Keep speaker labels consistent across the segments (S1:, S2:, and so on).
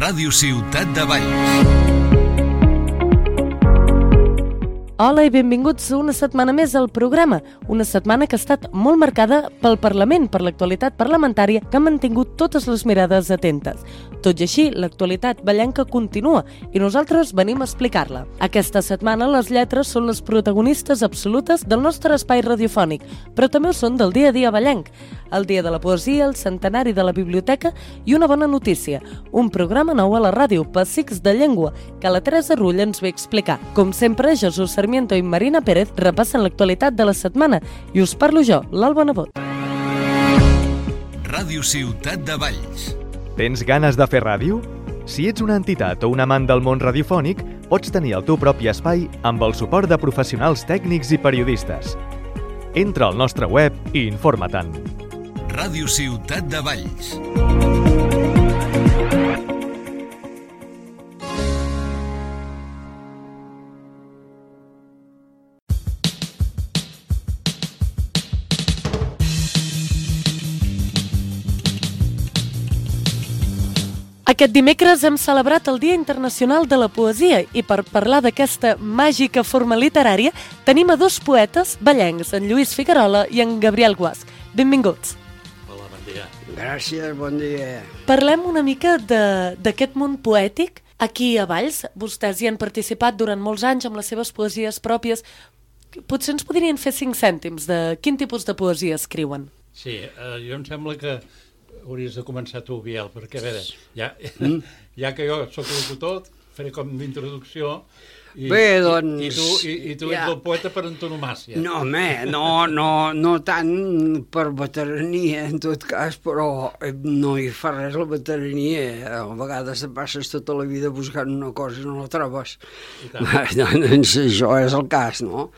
S1: Ràdio Ciutat de Valls.
S2: Hola i benvinguts una setmana més al programa, una setmana que ha estat molt marcada pel Parlament, per l'actualitat parlamentària que ha mantingut totes les mirades atentes. Tot i així, l'actualitat vallenca continua i nosaltres venim a explicar-la. Aquesta setmana les lletres són les protagonistes absolutes del nostre espai radiofònic, però també ho són del dia a dia vallenc, el dia de la poesia, el centenari de la biblioteca i una bona notícia, un programa nou a la ràdio, Pessics de Llengua, que la Teresa Rull ens ve a explicar. Com sempre, Jesús Sarmiento i Marina Pérez repassen l'actualitat de la setmana i us parlo jo, l'Alba Nebot.
S1: Ràdio Ciutat de Valls.
S3: Tens ganes de fer ràdio? Si ets una entitat o un amant del món radiofònic, pots tenir el teu propi espai amb el suport de professionals tècnics i periodistes. Entra al nostre web i informa-te'n.
S1: Ràdio Ciutat de Valls.
S2: Aquest dimecres hem celebrat el Dia Internacional de la Poesia i per parlar d'aquesta màgica forma literària tenim a dos poetes vallencs, en Lluís Figuerola i en Gabriel Guasch. Benvinguts.
S4: Hola, bon dia.
S5: Gràcies, bon dia.
S2: Parlem una mica d'aquest món poètic aquí a Valls. Vostès hi han participat durant molts anys amb les seves poesies pròpies. Potser ens podrien fer 5 cèntims de quin tipus de poesia escriuen.
S4: Sí, jo em sembla que hauries de començar tu, Biel, perquè a veure, ja que jo sóc locutor, faré com d'introducció i,
S5: Bé, doncs,
S4: i tu ets el poeta per antonomàcia.
S5: No, home, no tant per veterania, en tot cas, però no hi fa res la veterania. A vegades et passes tota la vida buscant una cosa i no la trobes. Doncs això és el cas, no?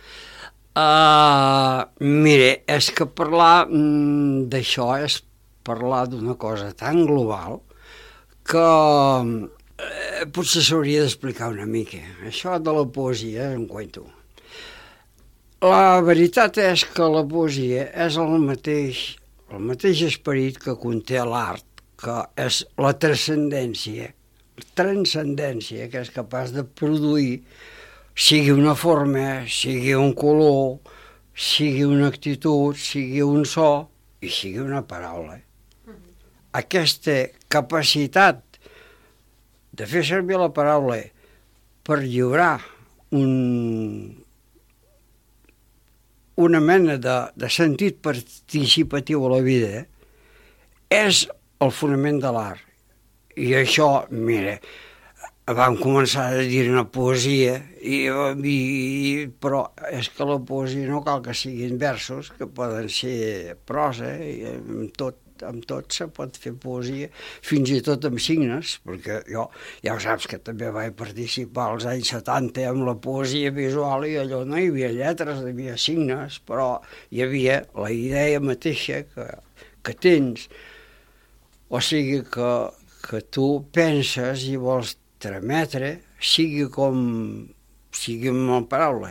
S5: Mire, és que parlar d'això és parlar d'una cosa tan global que potser s'hauria d'explicar una mica. Això de la poesia és un cuento. La veritat és que la poesia és el mateix esperit que conté l'art, que és la transcendència que és capaç de produir, sigui una forma, sigui un color, sigui una actitud, sigui un so i sigui una paraula. Aquesta capacitat de fer servir la paraula per lliurar una mena de sentit participatiu a la vida és el fonament de l'art. I això, mira, vam començar a dir-ne poesia, però és que la poesia no cal que siguin versos, que poden ser prosa, i amb tot se pot fer poesia, fins i tot amb signes, perquè jo, ja ho saps que també vaig participar als anys 70 amb la poesia visual i allò no hi havia lletres, hi havia signes, però hi havia la idea mateixa que tens. O sigui que tu penses i vols trametre, sigui amb la paraula,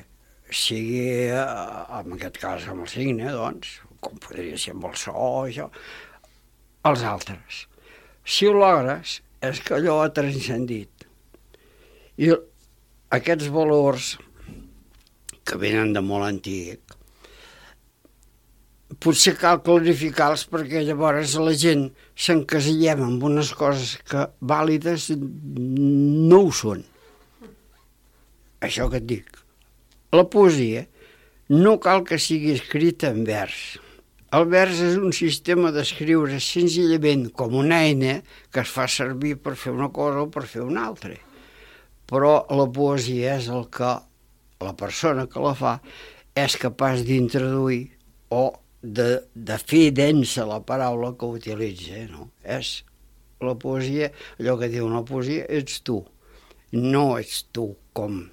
S5: sigui, en aquest cas, amb el signe, doncs, com podria ser amb el so, això, als altres. Si ho logres, és que allò ha transcendit. I aquests valors que venen de molt antic, potser cal clarificar-los perquè llavors la gent s'encasillem amb unes coses que vàlides no ho són. Això que et dic. La poesia no cal que sigui escrita en vers. El vers és un sistema d'escriure senzillament com una eina que es fa servir per fer una cosa o per fer una altra. Però la poesia és el que la persona que la fa és capaç d'introduir o de fer densa la paraula que utilitza. No? És la poesia, allò que diu la poesia, ets tu. No ets tu com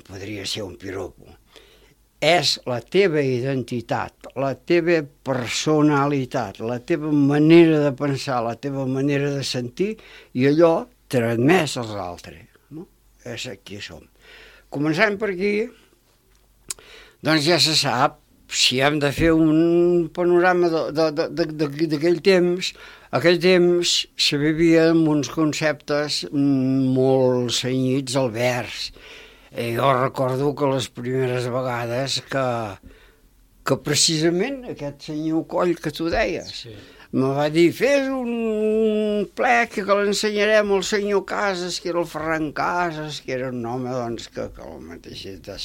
S5: podria ser un piropo. És la teva identitat, la teva personalitat, la teva manera de pensar, la teva manera de sentir i allò transmès als altres. No? És aquí som. Començant per aquí, doncs ja se sap, si hem de fer un panorama d'aquell temps, aquell temps se vivia amb uns conceptes molt cenyits al vers. Jo recordo que les primeres vegades que precisament aquest senyor Coll que tu deies, me va dir, fes un plec que l'ensenyarem al senyor Casas, que era el Ferran Casas, que era un home doncs, que el mateix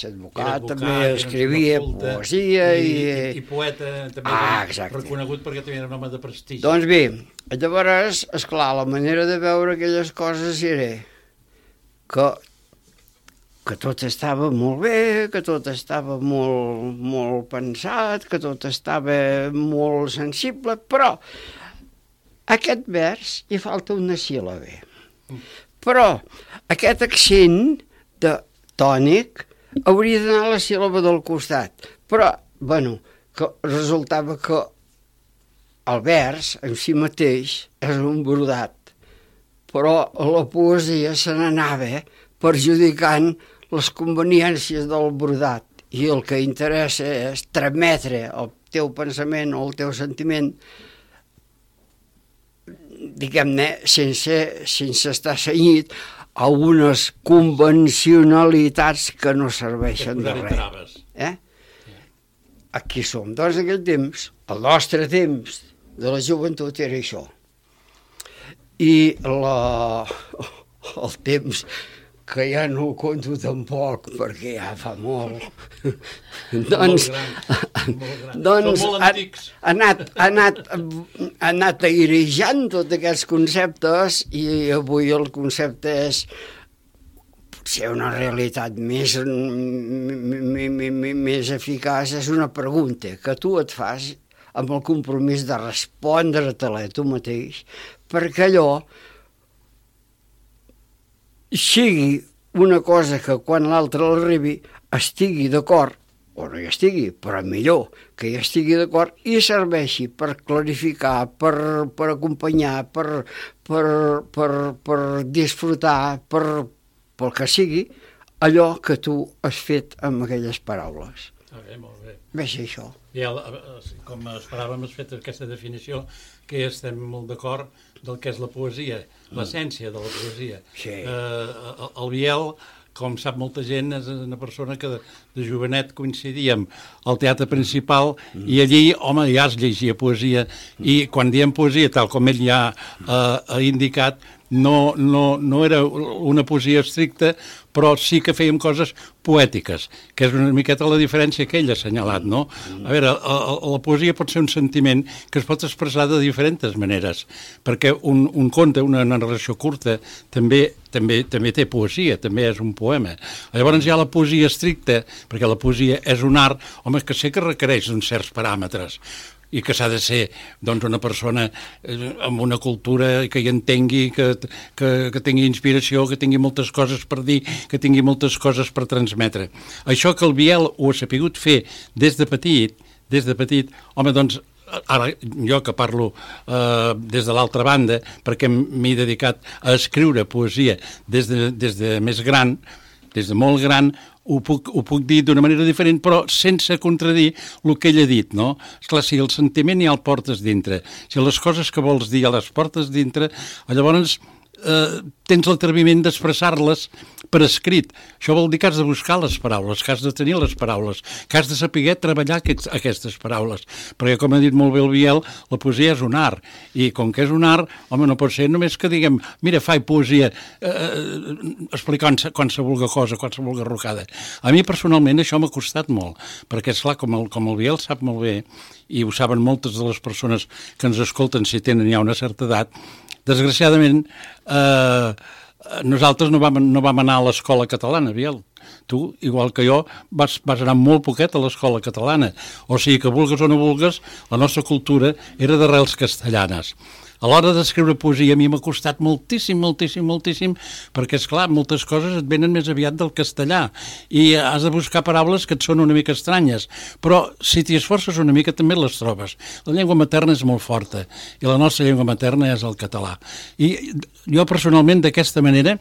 S5: advocat, també escrivia poesia
S4: i poeta també reconegut perquè també era un home de prestigi.
S5: Doncs bé, llavors, esclar, la manera de veure aquelles coses era que tot estava molt bé, que tot estava molt pensat, que tot estava molt sensible, però aquest vers hi falta una síl·labe. Però aquest accent tònic hauria d'anar a la síl·laba del costat. Però, bueno, que resultava que el vers en si mateix és un brodat, però la poesia se n'anava perjudicant les conveniències del brodat i el que interessa és trametre el teu pensament o el teu sentiment, diguem-ne, sense estar cenyit a unes convencionalitats que no serveixen de res. Aquí som. Doncs aquell temps, el nostre temps de la joventut era això. I el temps que ja no ho conto tampoc, perquè ja fa molt. Doncs ha anat airejant tots aquests conceptes i avui el concepte és potser una realitat més eficaç, és una pregunta que tu et fas amb el compromís de respondre-te-la tu mateix, perquè allò sigui una cosa que quan l'altre l'arribi estigui d'acord, o no hi estigui, però millor que hi estigui d'acord i serveixi per clarificar, per acompanyar, per disfrutar, pel que sigui, allò que tu has fet amb aquelles paraules.
S4: Molt bé.
S5: Ves això.
S4: Com esperàvem, has fet aquesta definició que estem molt d'acord del que és la poesia, l'essència de la poesia.
S5: Sí.
S4: El Biel, com sap molta gent, és una persona que de jovenet coincidíem al Teatre Principal i allí, home, ja es llegia poesia i quan diem poesia, tal com ell ja ha indicat, no era una poesia estricta, però sí que fèiem coses poètiques, que és una miqueta la diferència que ell ha assenyalat, no? A veure, la poesia pot ser un sentiment que es pot expressar de diferents maneres, perquè un conte, una narració curta, també té poesia, també és un poema. Llavors hi ha la poesia estricta, perquè la poesia és un art, home, que sé que requereix uns certs paràmetres, i que s'ha de ser doncs, una persona amb una cultura que hi entengui, que tingui inspiració, que tingui moltes coses per dir, que tingui moltes coses per transmetre. Això que el Biel ho ha sapigut fer des de petit, home, doncs, ara jo que parlo des de l'altra banda, perquè m'he dedicat a escriure poesia des de més gran, des de molt gran, ho puc dir d'una manera diferent, però sense contradir el que ell ha dit, no? Esclar, si el sentiment ja el portes dintre, si les coses que vols dir ja les portes dintre, llavors tens l'atreviment d'expressar-les per escrit. Això vol dir que has de buscar les paraules, que has de tenir les paraules, que has de saber treballar aquestes paraules. Perquè, com ha dit molt bé el Biel, la poesia és un art, i com que és un art, home, no pot ser només que diguem, mira, faig poesia explicant qualsevol cosa, qualsevol garrocada. A mi, personalment, això m'ha costat molt, perquè, esclar, com el Biel sap molt bé, i ho saben moltes de les persones que ens escolten si tenen ja una certa edat, desgraciadament, nosaltres no vam anar a l'escola catalana, Biel. Tu, igual que jo, vas anar molt poquet a l'escola catalana. O sigui que, vulgues o no vulgues, la nostra cultura era d'arrels castellanes. A l'hora d'escriure poesia a mi m'ha costat moltíssim, perquè, esclar, moltes coses et venen més aviat del castellà i has de buscar paraules que et són una mica estranyes, però si t'hi esforces una mica també les trobes. La llengua materna és molt forta i la nostra llengua materna és el català. I jo personalment d'aquesta manera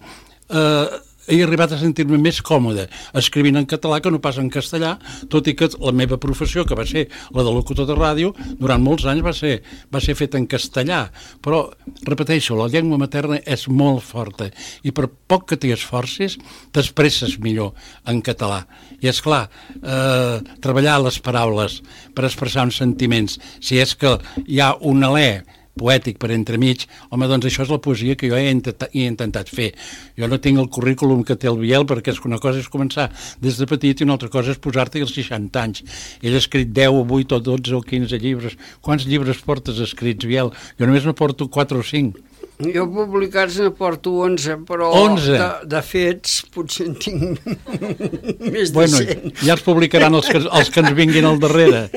S4: he arribat a sentir-me més còmode escrivint en català que no pas en castellà, tot i que la meva professió, que va ser la de locutor de ràdio, durant molts anys va ser feta en castellà. Però, repeteixo, la llengua materna és molt forta i per poc que t'hi esforcis, t'expresses millor en català. I, esclar, treballar les paraules per expressar uns sentiments, si és que hi ha un alè poètic per entremig, home, doncs això és la poesia que jo he intentat fer. Jo no tinc el currículum que té el Biel, perquè una cosa és començar des de petit i una altra cosa és posar-te als 60 anys. Ell ha escrit 10 o 8 o 12 o 15 llibres. Quants llibres portes escrits, Biel? Jo només ne porto 4 o 5.
S5: Jo publicats ne porto 11, però
S4: 11?
S5: De fets potser en tinc més de 100.
S4: Bueno, ja els publicaran els que ens vinguin al darrere.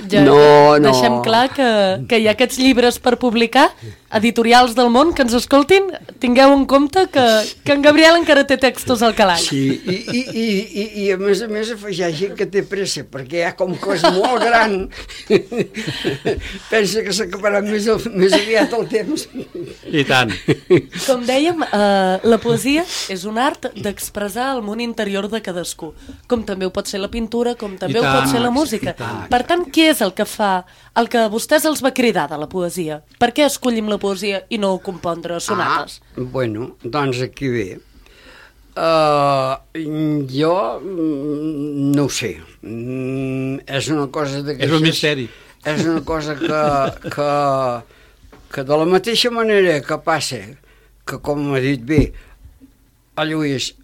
S2: Ja
S5: No.
S2: Deixem clar que hi ha aquests llibres per publicar, editorials del món que ens escoltin, tingueu en compte que en Gabriel encara té textos al calaix.
S5: Sí, i a més afegeixi que té pressa, perquè ja com que és molt gran, pensa que s'acabarà més aviat el temps.
S4: I tant.
S2: Com dèiem, la poesia és un art d'expressar el món interior de cadascú, com també ho pot ser la pintura, com també ho pot ser la música. Per tant, què és el que fa, el que a vostès els va cridar de la poesia? Per què escollim la poesia i no compondre sonates?
S5: Bueno, doncs aquí ve. Jo no ho sé. És una cosa d'aquestes...
S4: És un misteri.
S5: És una cosa que de la mateixa manera que passa, que com m'ha dit bé, a Lluís,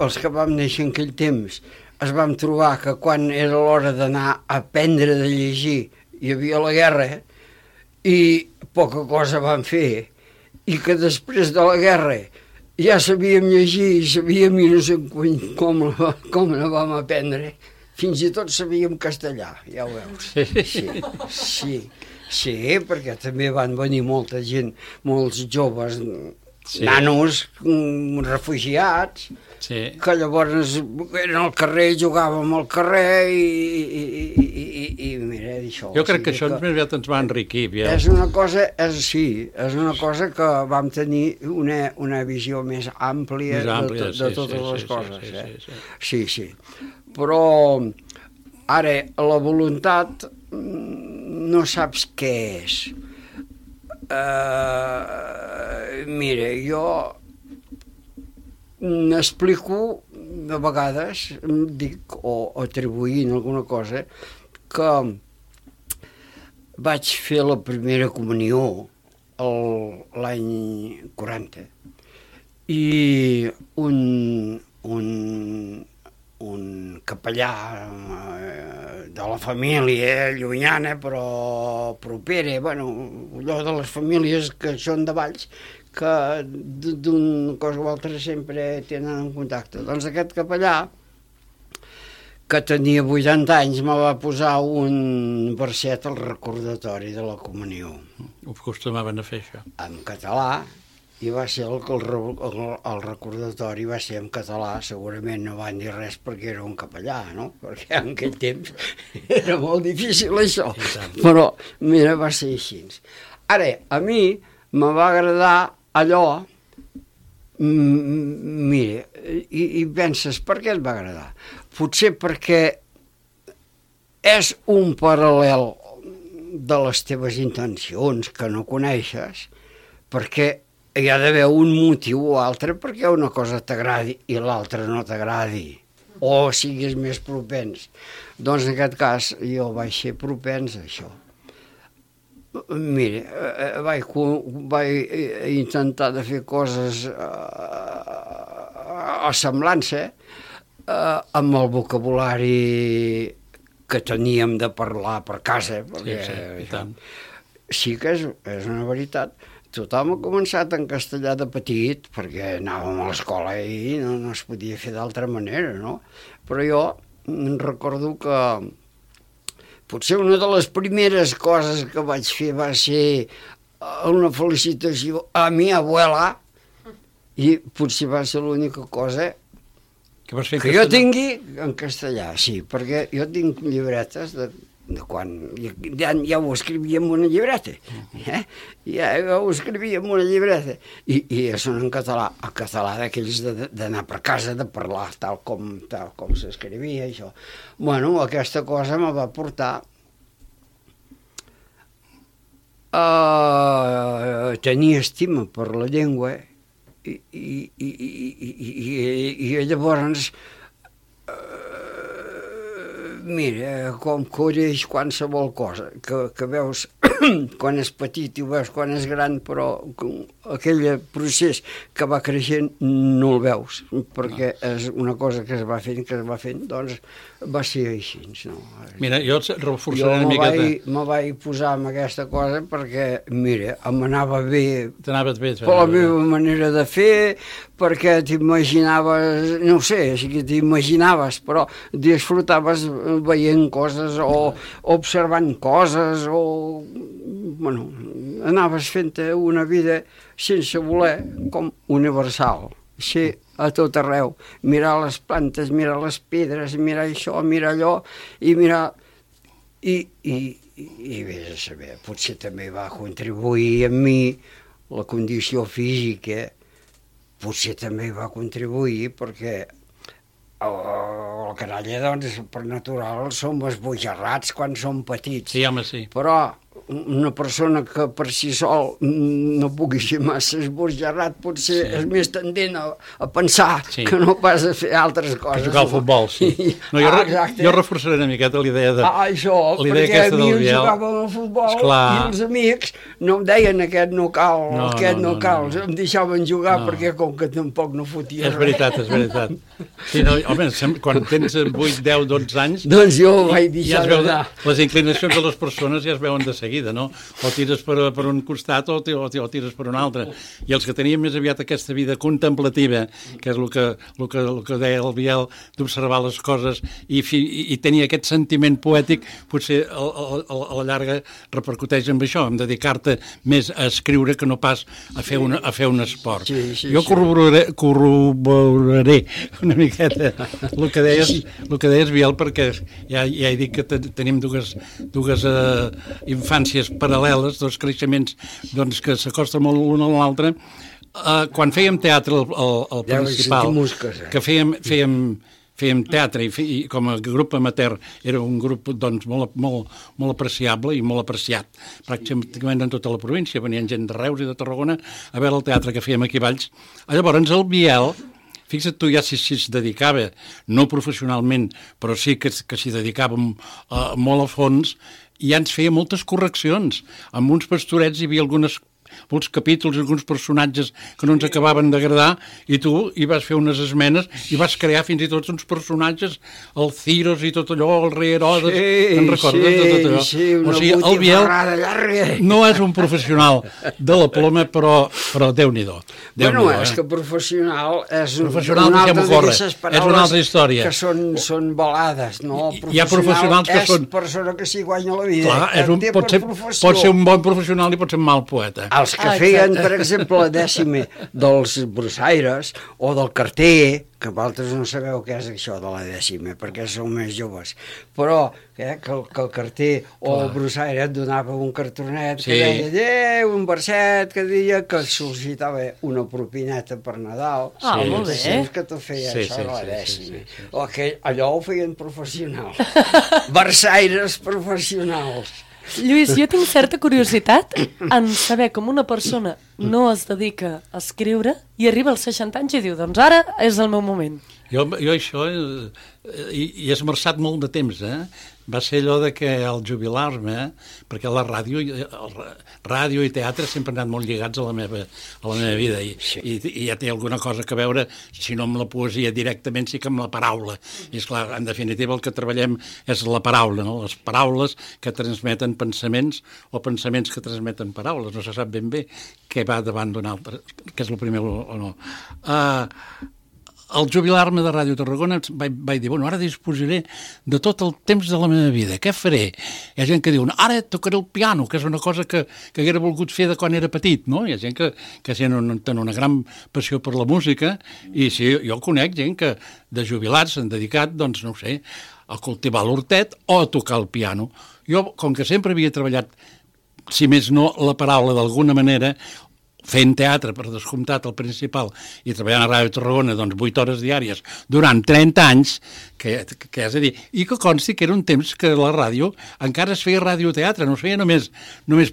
S5: els que vam néixer en aquell temps, es vam trobar que quan era l'hora d'anar a aprendre de llegir hi havia la guerra i poca cosa vam fer, i que després de la guerra ja sabíem llegir i sabíem i no sé com la vam aprendre. Fins i tot sabíem castellà, ja ho veus. Sí, perquè també van venir molta gent, molts joves, nanos, refugiats, que llavors eren al carrer, jugàvem al carrer i mira, això.
S4: Jo crec que això més aviat ens va enriquir.
S5: És una cosa, és una cosa que vam tenir una visió més àmplia de totes les coses. Sí. Però ara la voluntat no saps què és. Mira, jo n'explico de vegades, dic, o atribuint alguna cosa, que vaig fer la primera comunió l'any 40 i un capellà de la família llunyana però propera, bueno, allò de les famílies que són de Valls, que d'una cosa o altra sempre tenen en contacte. Doncs aquest capellà, que tenia 80 anys, me va posar un verset al recordatori de la comunió.
S4: Ho acostumaven a fer, això.
S5: En català, i va ser el recordatori va ser en català. Segurament no van dir res perquè era un capellà, no? Perquè en aquell temps era molt difícil això, però mira, va ser així. Ara, a mi me va agradar allò, mira, i penses, per què et va agradar? Potser perquè és un paral·lel de les teves intencions que no coneixes, perquè hi ha d'haver un motiu o altre perquè una cosa t'agradi i l'altra no t'agradi, o siguis més propens. Doncs en aquest cas jo vaig ser propens a això. Mira, vaig intentar de fer coses a semblança amb el vocabulari que teníem de parlar per casa, perquè sí que és una veritat. Tothom ha començat en castellà de petit, perquè anàvem a l'escola i no es podia fer d'altra manera, no? Però jo recordo que potser una de les primeres coses que vaig fer va ser una felicitació a mi abuela, i potser va ser l'única cosa que jo tingui en castellà, sí, perquè jo tinc llibretes de quan ja ho escrivia en una llibreta, ja ho escrivia en una llibreta, i són en català, el català d'aquells d'anar per casa, de parlar tal com s'escrivia, això. Bueno, aquesta cosa me va portar a tenir estima per la llengua i llavors mira, com correix qualsevol cosa, que veus quan és petit i ho veus quan és gran, però aquell procés que va creixent no el veus, perquè és una cosa que es va fent, doncs va ser així. No?
S4: Mira, jo reforçaré una miqueta.
S5: Me vaig posar amb aquesta cosa perquè, mira, m'anava bé
S4: T'anaves bé.
S5: per la meva manera de fer, perquè t'imaginaves, no sé, sí que t'imaginaves, però disfrutaves veient coses o observant coses o... Bueno, anaves fent una vida sense voler, com universal, ser a tot arreu, mirar les plantes, mirar les pedres, mirar això, mirar allò, i mirar... I vés a saber, potser també va contribuir en mi la condició física, potser també va contribuir perquè el canalla, doncs, per natural, som esbojarrats quan som petits.
S4: Sí, home, sí.
S5: Però una persona que per si sol no pugui ser massa esbojarrat potser és més tendent a pensar que no pas a fer altres coses.
S4: A jugar al futbol, sí. No, jo reforçaré una miqueta l'idea de...
S5: Això, perquè a mi em jugàvem al futbol i els amics no em deien aquest no cal, em deixaven jugar perquè com que tampoc no fotia
S4: res. És veritat. Sí, no, home, quan tens 8, 10, 12 anys...
S5: Doncs jo vaig deixar d'anar.
S4: Les inclinacions de les persones ja es veuen de seguida, no? O tires per un costat o tires per un altre. I els que tenien més aviat aquesta vida contemplativa, que és el que deia el Biel, d'observar les coses i tenir aquest sentiment poètic, potser a la llarga repercuteix amb això, en dedicar-te més a escriure que no pas a fer un esport. Jo corroboraré una miqueta el que deies, Biel, perquè ja he dit que tenim dues infàncies paral·leles, dos creixements doncs, que s'acosten molt l'un a l'altre. Quan fèiem teatre al principal, que fèiem teatre i com a grup amateur era un grup doncs, molt apreciable i molt apreciat pràcticament en tota la província, venien gent de Reus i de Tarragona a veure el teatre que fèiem aquí a Valls. Llavors el Biel, fixa't tu ja si es dedicava, no professionalment, però sí que s'hi dedicava molt a fons, i ja ens feia moltes correccions. Amb uns pastorets hi havia alguns capítols, alguns personatges que no ens acabaven d'agradar, i tu hi vas fer unes esmenes i vas crear fins i tot uns personatges, el Ciros i tot allò, el rei Herodes, te'n recordes de tot allò?
S5: Sí,
S4: o sigui, el Biel no és un professional de la ploma, però Déu-n'hi-do.
S5: Bueno, és que professional és
S4: una altra història.
S5: Que són balades, no?
S4: Hi ha professionals que són...
S5: És persona que s'hi guanya la vida.
S4: Clar, pot ser un bon professional i pot ser un mal poeta.
S5: Els que feien, per exemple, la dècima dels brossaires o del carter, que vosaltres no sabeu què és això de la dècima, perquè sou més joves, però que el carter o el brossaire et donava un cartonet que deia un verset que deia que sol·licitava una propineta per Nadal.
S2: Molt bé.
S5: Que tu feia això de la dècima. O que allò ho feien professionals. Versaires professionals.
S2: Lluís, jo tinc certa curiositat en saber com una persona no es dedica a escriure i arriba als 60 anys i diu, doncs ara és el meu moment.
S4: Jo això hi he esmerçat molt de temps, Va ser allò de que al jubilar-me, perquè la ràdio i teatre sempre han anat molt lligats a la meva vida i ja té alguna cosa que veure, si no amb la poesia directament, sí que amb la paraula. I esclar, en definitiva el que treballem és la paraula, no? Les paraules que transmeten pensaments o pensaments que transmeten paraules. No se sap ben bé què va davant d'un altre, que és el primer o no. Al jubilar-me de Ràdio Tarragona vaig dir, bueno, ara disposaré de tot el temps de la meva vida. Què faré? Hi ha gent que diu, ara tocaré el piano, que és una cosa que haguera volgut fer de quan era petit, no? Hi ha gent que tenen una gran passió per la música, i sí, jo conec gent que de jubilats s'han dedicat, doncs, no ho sé, a cultivar l'hortet o a tocar el piano. Jo, com que sempre havia treballat, si més no, la paraula d'alguna manera, fent teatre, per descomptat, al principal, i treballant a Ràdio Tarragona, doncs, 8 hores diàries, durant 30 anys, que és a dir, i que consti que era un temps que la ràdio encara es feia radioteatre, no es feia només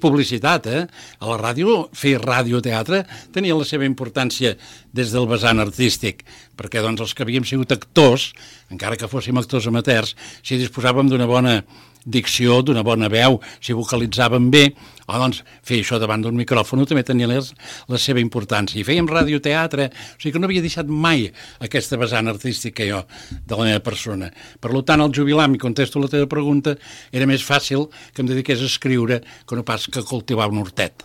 S4: publicitat, A la ràdio, fer radioteatre tenia la seva importància des del vessant artístic, perquè, doncs, els que havíem sigut actors, encara que fóssim actors amateurs, si disposàvem d'una bona dicció, d'una bona veu, si vocalitzàvem bé, doncs fer això davant d'un micròfon també tenia la seva importància. I fèiem radioteatre, o sigui que no havia deixat mai aquesta vessant artística jo, de la meva persona. Per tant, al jubilar, m'hi contesto la teva pregunta, era més fàcil que em dediqués a escriure que no pas que cultivar un hortet.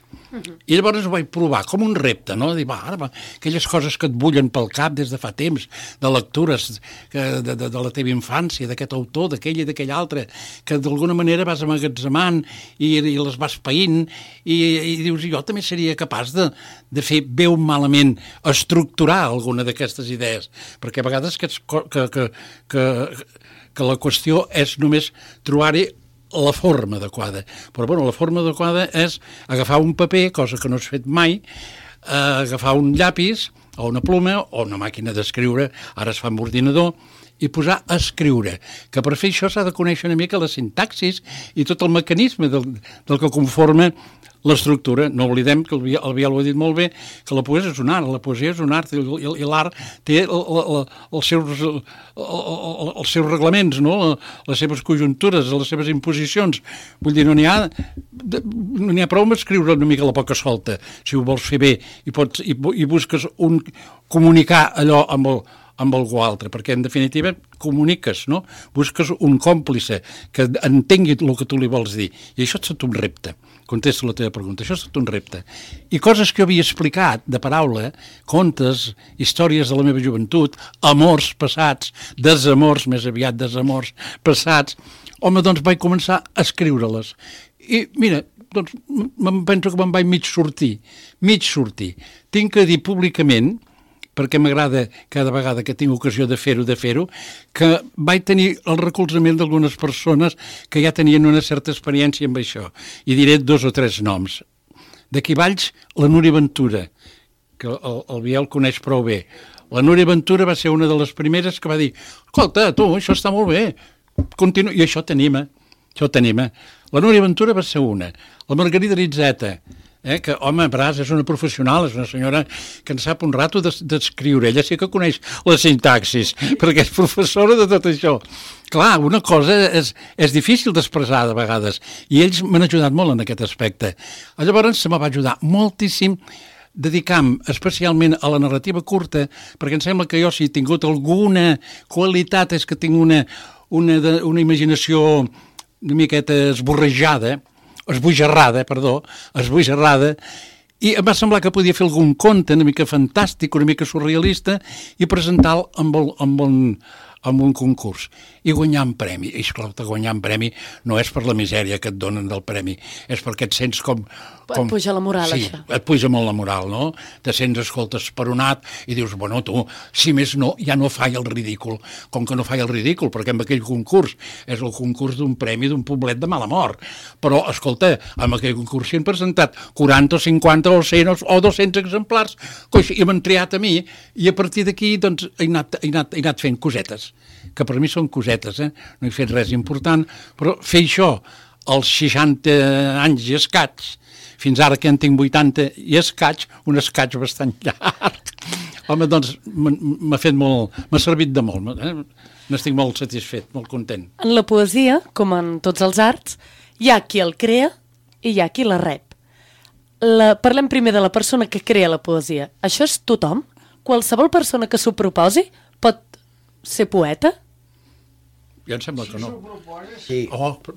S4: I llavors ho vaig provar com un repte, no? Dir, ara, aquelles coses que et bullen pel cap des de fa temps, de lectures de la teva infància, d'aquest autor, d'aquell i d'aquell altre, que d'alguna manera vas amagatzemant i les vas païnt i dius, jo també seria capaç de fer bé o malament, estructurar alguna d'aquestes idees, perquè a vegades que la qüestió és només trobar-hi la forma adequada. Però, la forma adequada és agafar un paper, cosa que no has fet mai, agafar un llapis o una ploma o una màquina d'escriure, ara es fa amb ordinador, i posar a escriure. Que per fer això s'ha de conèixer una mica la sintaxis i tot el mecanisme del que conforma l'estructura. No oblidem que el Biel ho ha dit molt bé, que la poesia és un art, i l'art té els seus reglaments, no? Les seves conjuntures, les seves imposicions. Vull dir, no n'hi ha prou amb escriure una mica la poca solta, si ho vols fer bé i busques comunicar allò amb algú altre, perquè en definitiva comuniques, no? Busques un còmplice que entengui el que tu li vols dir, i això és tot un repte. Contesto la teva pregunta, això és tot un repte. I coses que jo havia explicat de paraula, contes, històries de la meva joventut, amors passats, desamors, més aviat desamors passats, doncs vaig començar a escriure-les. I mira, doncs penso que me'n vaig mig sortir. Tinc que dir públicament, perquè m'agrada cada vegada que tinc ocasió de fer-ho, que vaig tenir el recolzament d'algunes persones que ja tenien una certa experiència amb això. I diré 2 o 3 noms. D'aquí Valls, la Núria Ventura, que el Biel coneix prou bé. La Núria Ventura va ser una de les primeres que va dir, escolta, tu, això està molt bé, continua, i això t'anima. La Núria Ventura va ser una. La Margarida Ritzeta, que, home, Bràs és una professional, és una senyora que en sap un rato d'escriure. Ella sí que coneix la sintaxis, perquè és professora de tot això. Clar, una cosa és difícil d'expressar de vegades, i ells m'han ajudat molt en aquest aspecte. Llavors se me va ajudar moltíssim dedicant especialment a la narrativa curta, perquè em sembla que jo, si he tingut alguna qualitat, és que tinc una imaginació una miqueta esbojarrada, i em va semblar que podia fer algun conte una mica fantàstic, una mica surrealista, i presentar-lo amb un concurs i guanyar un premi. I esclar, guanyar un premi no és per la misèria que et donen del premi, és perquè et sents com...
S2: Et puja la moral,
S4: sí,
S2: això.
S4: Et puja molt la moral, no? Te sents, escolta, esperonat i dius, bueno, tu, si més no, ja no falla el ridícul. Com que no falla el ridícul, perquè amb aquell concurs és el concurs d'un premi d'un poblet de mala mort. Però, escolta, amb aquell concurs s'hi han presentat 40 o 50 o 100 o 200 exemplars, i m'han triat a mi, i a partir d'aquí, doncs, he anat fent cosetes, que per mi són cosetes, no he fet res important, però fer això als 60 anys i escaig, fins ara que en tinc 80 i escaig, un escaig bastant llarg, home, doncs m'ha servit de molt, n'estic molt satisfet, molt content.
S2: En la poesia, com en tots els arts, hi ha qui el crea i hi ha qui la rep. Parlem primer de la persona que crea la poesia. Això és tothom? Qualsevol persona que s'ho proposi pot ser poeta?
S4: Jo em sembla que no.
S5: Si s'ho proposa, sí.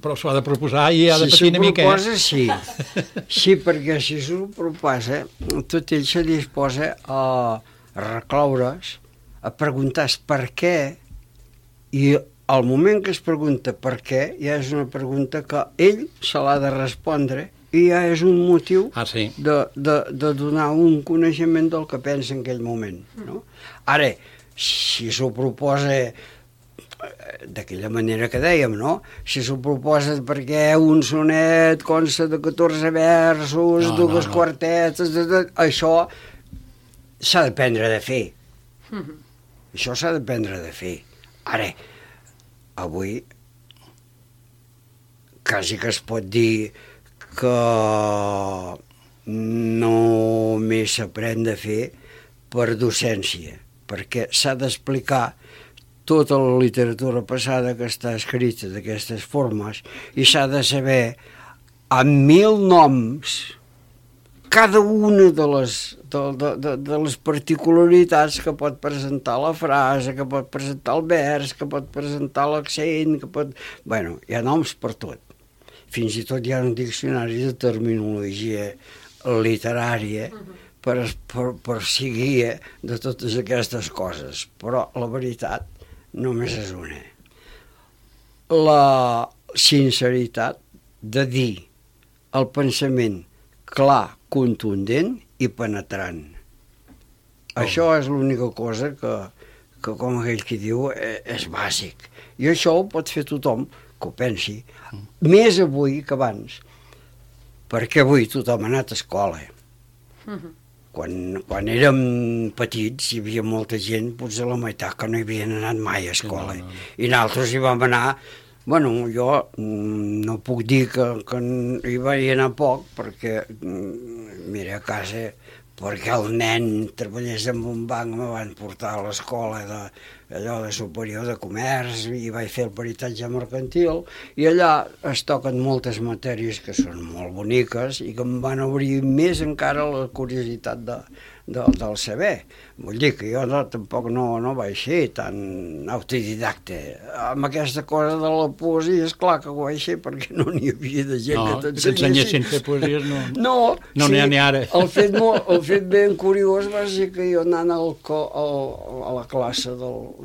S4: Però s'ho ha de proposar i ha de patir una mica.
S5: Si s'ho proposa, sí. Sí, perquè si s'ho proposa, tot ell se disposa a recloure's, a preguntar per què, i al moment que es pregunta per què, ja és una pregunta que ell se l'ha de respondre i ja és un motiu de donar un coneixement del que pensa en aquell moment. No? Ara, si s'ho proposa d'aquella manera que dèiem, no? Si s'ho proposa perquè un sonet consta de 14 versos, dues quartetes, això s'ha d'aprendre de fer. Això s'ha d'aprendre de fer. Ara, avui, quasi que es pot dir que només s'aprèn de fer per docència, perquè s'ha d'explicar tota la literatura passada que està escrita d'aquestes formes i s'ha de saber amb 1000 noms cada una de les particularitats que pot presentar la frase, que pot presentar el vers, que pot presentar l'accent, que pot... Bueno, hi ha noms per tot. Fins i tot hi ha un diccionari de terminologia literària per seguir de totes aquestes coses. Però la veritat només és una. La sinceritat de dir el pensament clar, contundent i penetrant. Això és l'única cosa que, com aquell qui diu, és bàsic. I això ho pot fer tothom que ho pensi. Més avui que abans. Perquè avui tothom ha anat a escola. Quan érem petits hi havia molta gent, potser la meitat, que no hi havien anat mai a escola. I nosaltres hi vam anar... Bueno, jo no puc dir que hi vaig anar poc, perquè, mira, a casa, perquè el nen treballés en un banc, me van portar a l'escola allò de superior de comerç i vaig fer el peritatge mercantil i allà es toquen moltes matèries que són molt boniques i que em van obrir més encara la curiositat del saber. Vull dir que jo tampoc no vaig ser tan autodidacte. Amb aquesta cosa de la poesia, esclar que ho vaig ser perquè no n'hi havia de gent que
S4: t'ensenyessin a fer poesies,
S5: no n'hi ha ni ara. El fet ben curiós va ser que jo anant a la classe del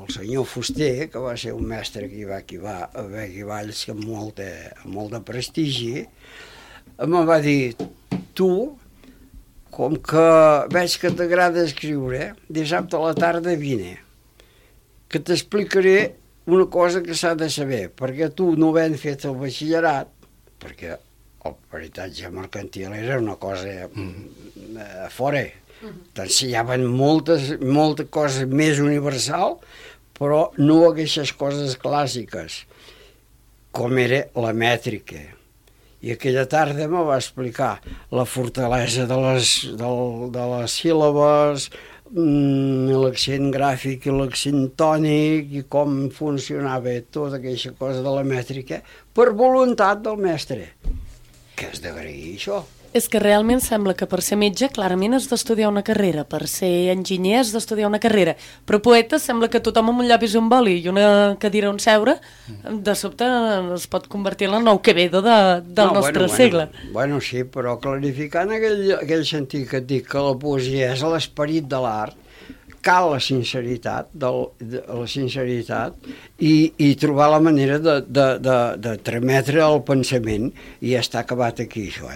S5: senyor Fuster, que va ser un mestre que hi va haver aquí a Valls amb molt de prestigi, em va dir, tu, com que veig que t'agrada escriure, dissabte a la tarda vine, que t'explicaré una cosa que s'ha de saber, perquè tu no havent fet el batxillerat, perquè el peritatge mercantil era una cosa fora, t'ensenyaven moltes coses més universal, però no aquestes coses clàssiques, com era la mètrica. I aquella tarda me va explicar la fortalesa de les síl·labes, l'accent gràfic i l'accent tònic i com funcionava tota aquesta cosa de la mètrica per voluntat del mestre. Que has d'agrair, això.
S2: És que realment sembla que per ser metge clarament has d'estudiar una carrera, per ser enginyer has d'estudiar una carrera, però poeta sembla que tothom amb un llapis i un boli i una cadira on seure, de sobte es pot convertir en el nou Quevedo del nostre segle.
S5: Bueno, sí, però clarificant aquell sentit que et dic que la poesia és l'esperit de l'art, cal la sinceritat i trobar la manera de trametre el pensament i ja està acabat aquí, això,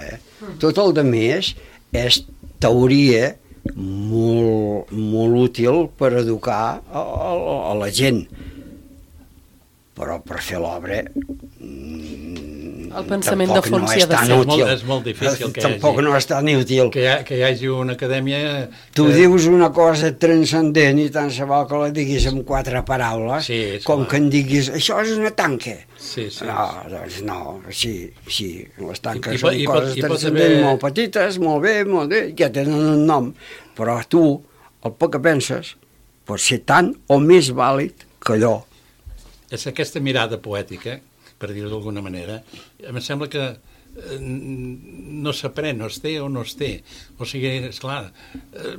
S5: Tot el demés és teoria molt útil per educar a la gent, però per fer l'obra
S2: el pensament de fons hi ha de ser.
S4: És molt difícil que
S5: tampoc no és tan útil.
S4: Que hi hagi una acadèmia...
S5: Tu dius una cosa transcendent i tant se val que la diguis amb 4 paraules, com que en diguis, això és una tanca. No, doncs no, sí, les tanques són coses transcendents molt petites, molt bé, ja tenen un nom, però tu, el poc que penses, pot ser tant o més vàlid que allò.
S4: És aquesta mirada poètica, per dir-ho d'alguna manera, em sembla que no s'aprèn, o es té o no es té. O sigui, esclar,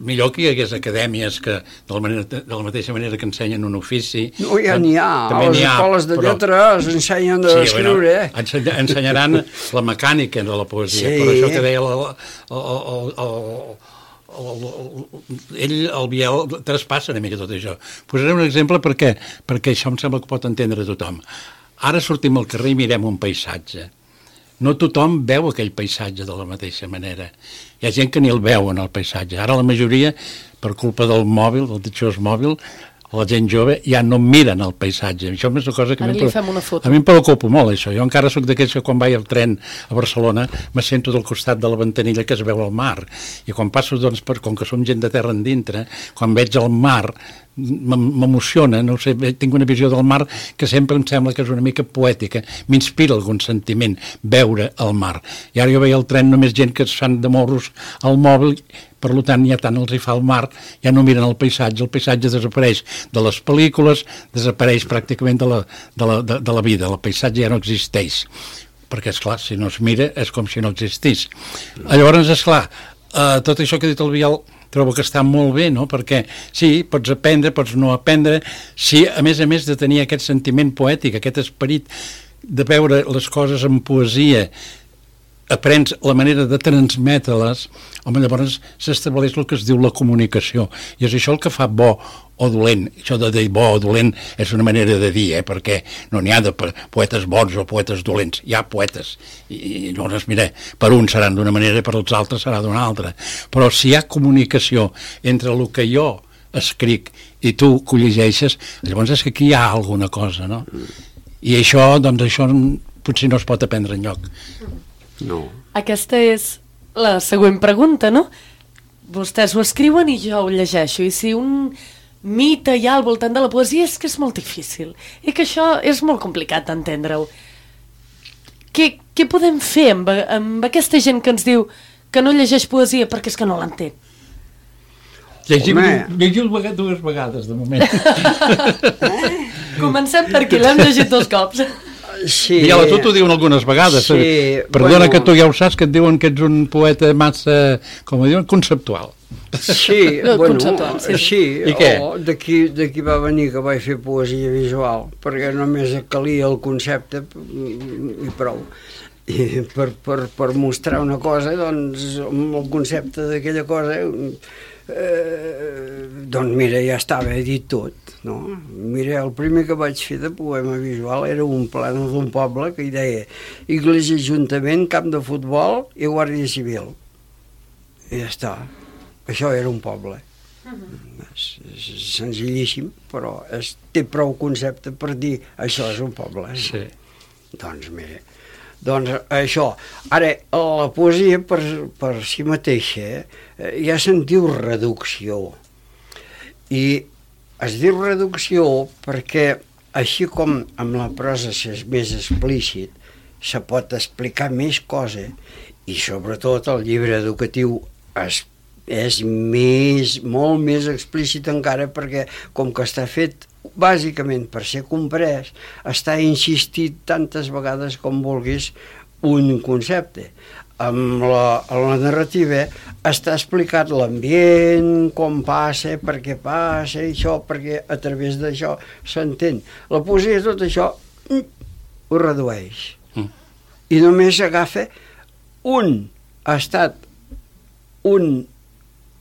S4: millor que hi hagués acadèmies que, de la mateixa manera que ensenyen un ofici...
S5: No, ja n'hi ha. A les escoles de lletres ensenyen d'escriure.
S4: Ensenyaran la mecànica de la poesia, però això que deia el Biel traspassa una mica tot això. Posaré un exemple perquè això em sembla que pot entendre tothom. Ara sortim al carrer i mirem un paisatge. No tothom veu aquell paisatge de la mateixa manera. Hi ha gent que ni el veu en el paisatge. Ara la majoria, per culpa del mòbil, del ditxós mòbil, la gent jove ja no miren el paisatge. Això és una cosa que
S2: Ara li fem una foto.
S4: a mi em preocupa molt, això. Jo encara sóc d'aquells que quan vaig al tren a Barcelona me sento del costat de la ventanilla que es veu al mar. I quan passo, doncs, com que som gent de terra endintre, quan veig el mar m'emociona, no sé, tinc una visió del mar que sempre em sembla que és una mica poètica, m'inspira algun sentiment veure el mar. I ara jo veia al tren només gent que es fan de morros al mòbil, per tant ja tant els hi fa el mar, ja no miren el paisatge desapareix de les pel·lícules, desapareix pràcticament de la vida, el paisatge ja no existeix, perquè esclar, si no es mira és com si no existís. Llavors, esclar, tot això que ha dit el Biel trobo que està molt bé, no? Perquè sí, pots aprendre, pots no aprendre, sí, a més de tenir aquest sentiment poètic, aquest esperit de veure les coses en poesia, aprens la manera de transmetre-les, home, llavors s'estableix el que es diu la comunicació, i és això el que fa bo o dolent. Això de dir bo o dolent és una manera de dir, perquè no n'hi ha de poetes bons o poetes dolents, hi ha poetes, i llavors, mira, per uns seran d'una manera i per els altres serà d'una altra, però si hi ha comunicació entre el que jo escric i tu que ho llegeixes, llavors és que aquí hi ha alguna cosa, no? I això, doncs això potser no es pot aprendre enlloc.
S5: No.
S2: Aquesta és la següent pregunta, no? Vostès ho escriuen i jo ho llegeixo, i si un mite hi ha al voltant de la poesia és que és molt difícil, i que això és molt complicat d'entendre-ho. Què podem fer amb aquesta gent que ens diu que no llegeix poesia perquè és que no l'entén?
S4: Llegiu dues vegades, de moment.
S2: Comencem per aquí, l'hem llegit 2 cops.
S5: Sí.
S4: I a la tu t'ho diuen algunes vegades.
S5: Sí,
S4: Perdona, que tu ja ho saps, que et diuen que ets un poeta massa, com ho diuen, conceptual.
S5: Sí,
S2: conceptual, sí.
S5: I
S4: què?
S5: D'aquí va venir que vaig fer poesia visual, perquè només calia el concepte i prou. I per mostrar una cosa, doncs, amb el concepte d'aquella cosa, doncs mira, ja estava dit tot, no? Mira, el primer que vaig fer de poema visual era un plànol d'un poble que hi deia Iglesia, Ajuntament, Camp de Futbol i Guàrdia Civil. I ja està. Això era un poble. És senzillíssim, però té prou concepte per dir això és un poble.
S4: Sí.
S5: Doncs mira, doncs això. Ara, la poesia per si mateixa ja se'n diu reducció. I es diu reducció perquè així com amb la prosa és més explícit, se pot explicar més cosa i sobretot el llibre educatiu és molt més explícit encara perquè com que està fet bàsicament per ser comprès, està insistit tantes vegades com vulguis un concepte. Amb la narrativa està explicat l'ambient, com passa, per què passa, això, perquè a través d'això s'entén. La poesia, tot això, ho redueix. I només agafa un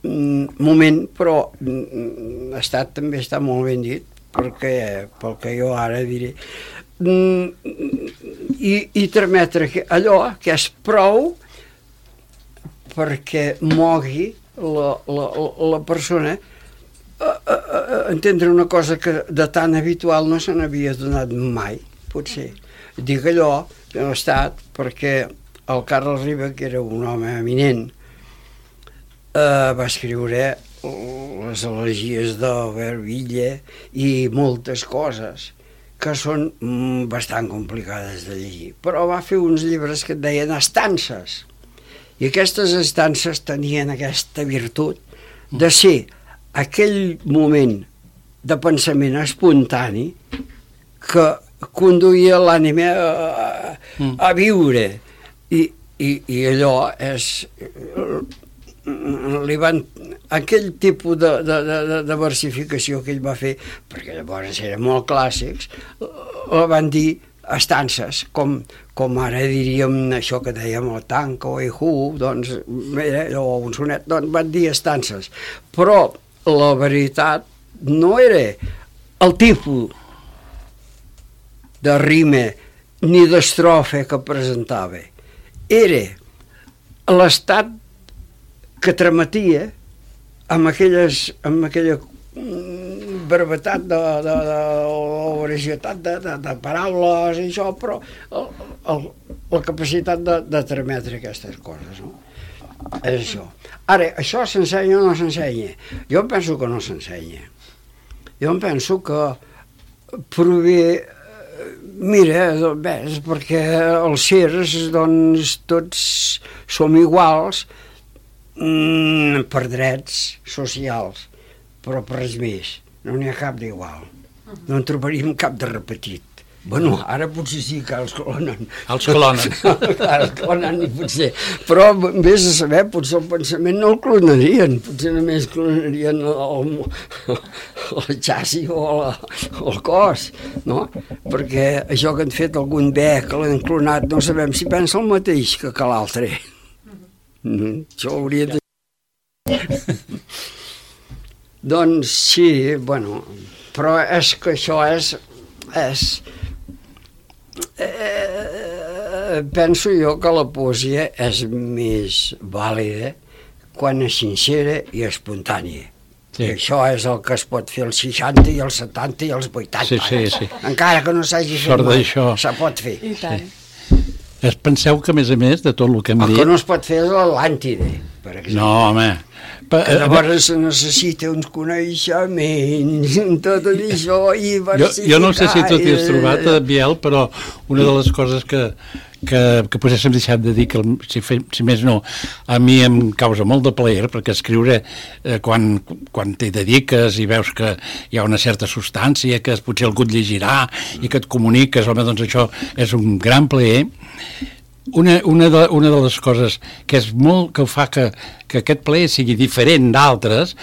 S5: moment, però estat també està molt ben dit, perquè pel que jo ara diré, i trametre allò que és prou perquè mogui la persona a entendre una cosa que de tan habitual no se n'havia donat mai, potser. Dic allò que no ha estat perquè el Carles Riba, que era un home eminent, va escriure les elegies d'Albert Villa i moltes coses que són bastant complicades de llegir, però va fer uns llibres que et deien estances, i aquestes estances tenien aquesta virtut de ser aquell moment de pensament espontani que conduïa l'ànima a viure, i allò és aquell tipus de versificació que ell va fer, perquè llavors eren molt clàssics, la van dir estances, com ara diríem això que dèiem el tanco i doncs o un sonet, doncs van dir estances, però la veritat no era el tipus de rima ni d'estrofa que presentava, era l'estat que trametia amb aquella brevetat o varietat de paraules i això, però la capacitat de trametre aquestes coses, no? És això. Ara, això s'ensenya o no s'ensenya? Jo penso que no s'ensenya. Jo penso que prové... Mira, bé, és perquè els sers, doncs, tots som iguals per drets socials, però per res més. No n'hi ha cap d'igual. No en trobaríem cap de repetit. Bueno, ara potser sí que els clonen.
S4: Els clonen.
S5: Els clonen, potser. Però, vés a saber, potser el pensament no el clonarien. Potser només clonarien el xassi o el cos, no? Perquè això que han fet algun bé, que l'han clonat, no sabem si pensa el mateix que l'altre. Això hauria de... Doncs sí, bueno, però és que això és penso jo que la poesia és més vàlida quan és sincera i espontània. Sí. I això és el que es pot fer als 60 i als 70 i als 80.
S4: Sí.
S5: Encara que no s'hagi fet mai, se pot fer.
S2: I tant.
S4: Penseu que, a més, de tot el que hem dit...
S5: El que no es pot fer és l'Atlàntide, per exemple.
S4: No, home...
S5: Llavors se necessita uns coneixements, tot això, i versificar...
S4: Jo no sé si tu t'hi has trobat, Biel, però una de les coses que potser s'hem deixat de dir, que si més no, a mi em causa molt de plaer, perquè escriure, quan t'hi dediques i veus que hi ha una certa substància, que potser algú et llegirà i que et comuniques, home, doncs això és un gran plaer. Una de les coses que és molt que fa que aquest plaer sigui diferent d'altres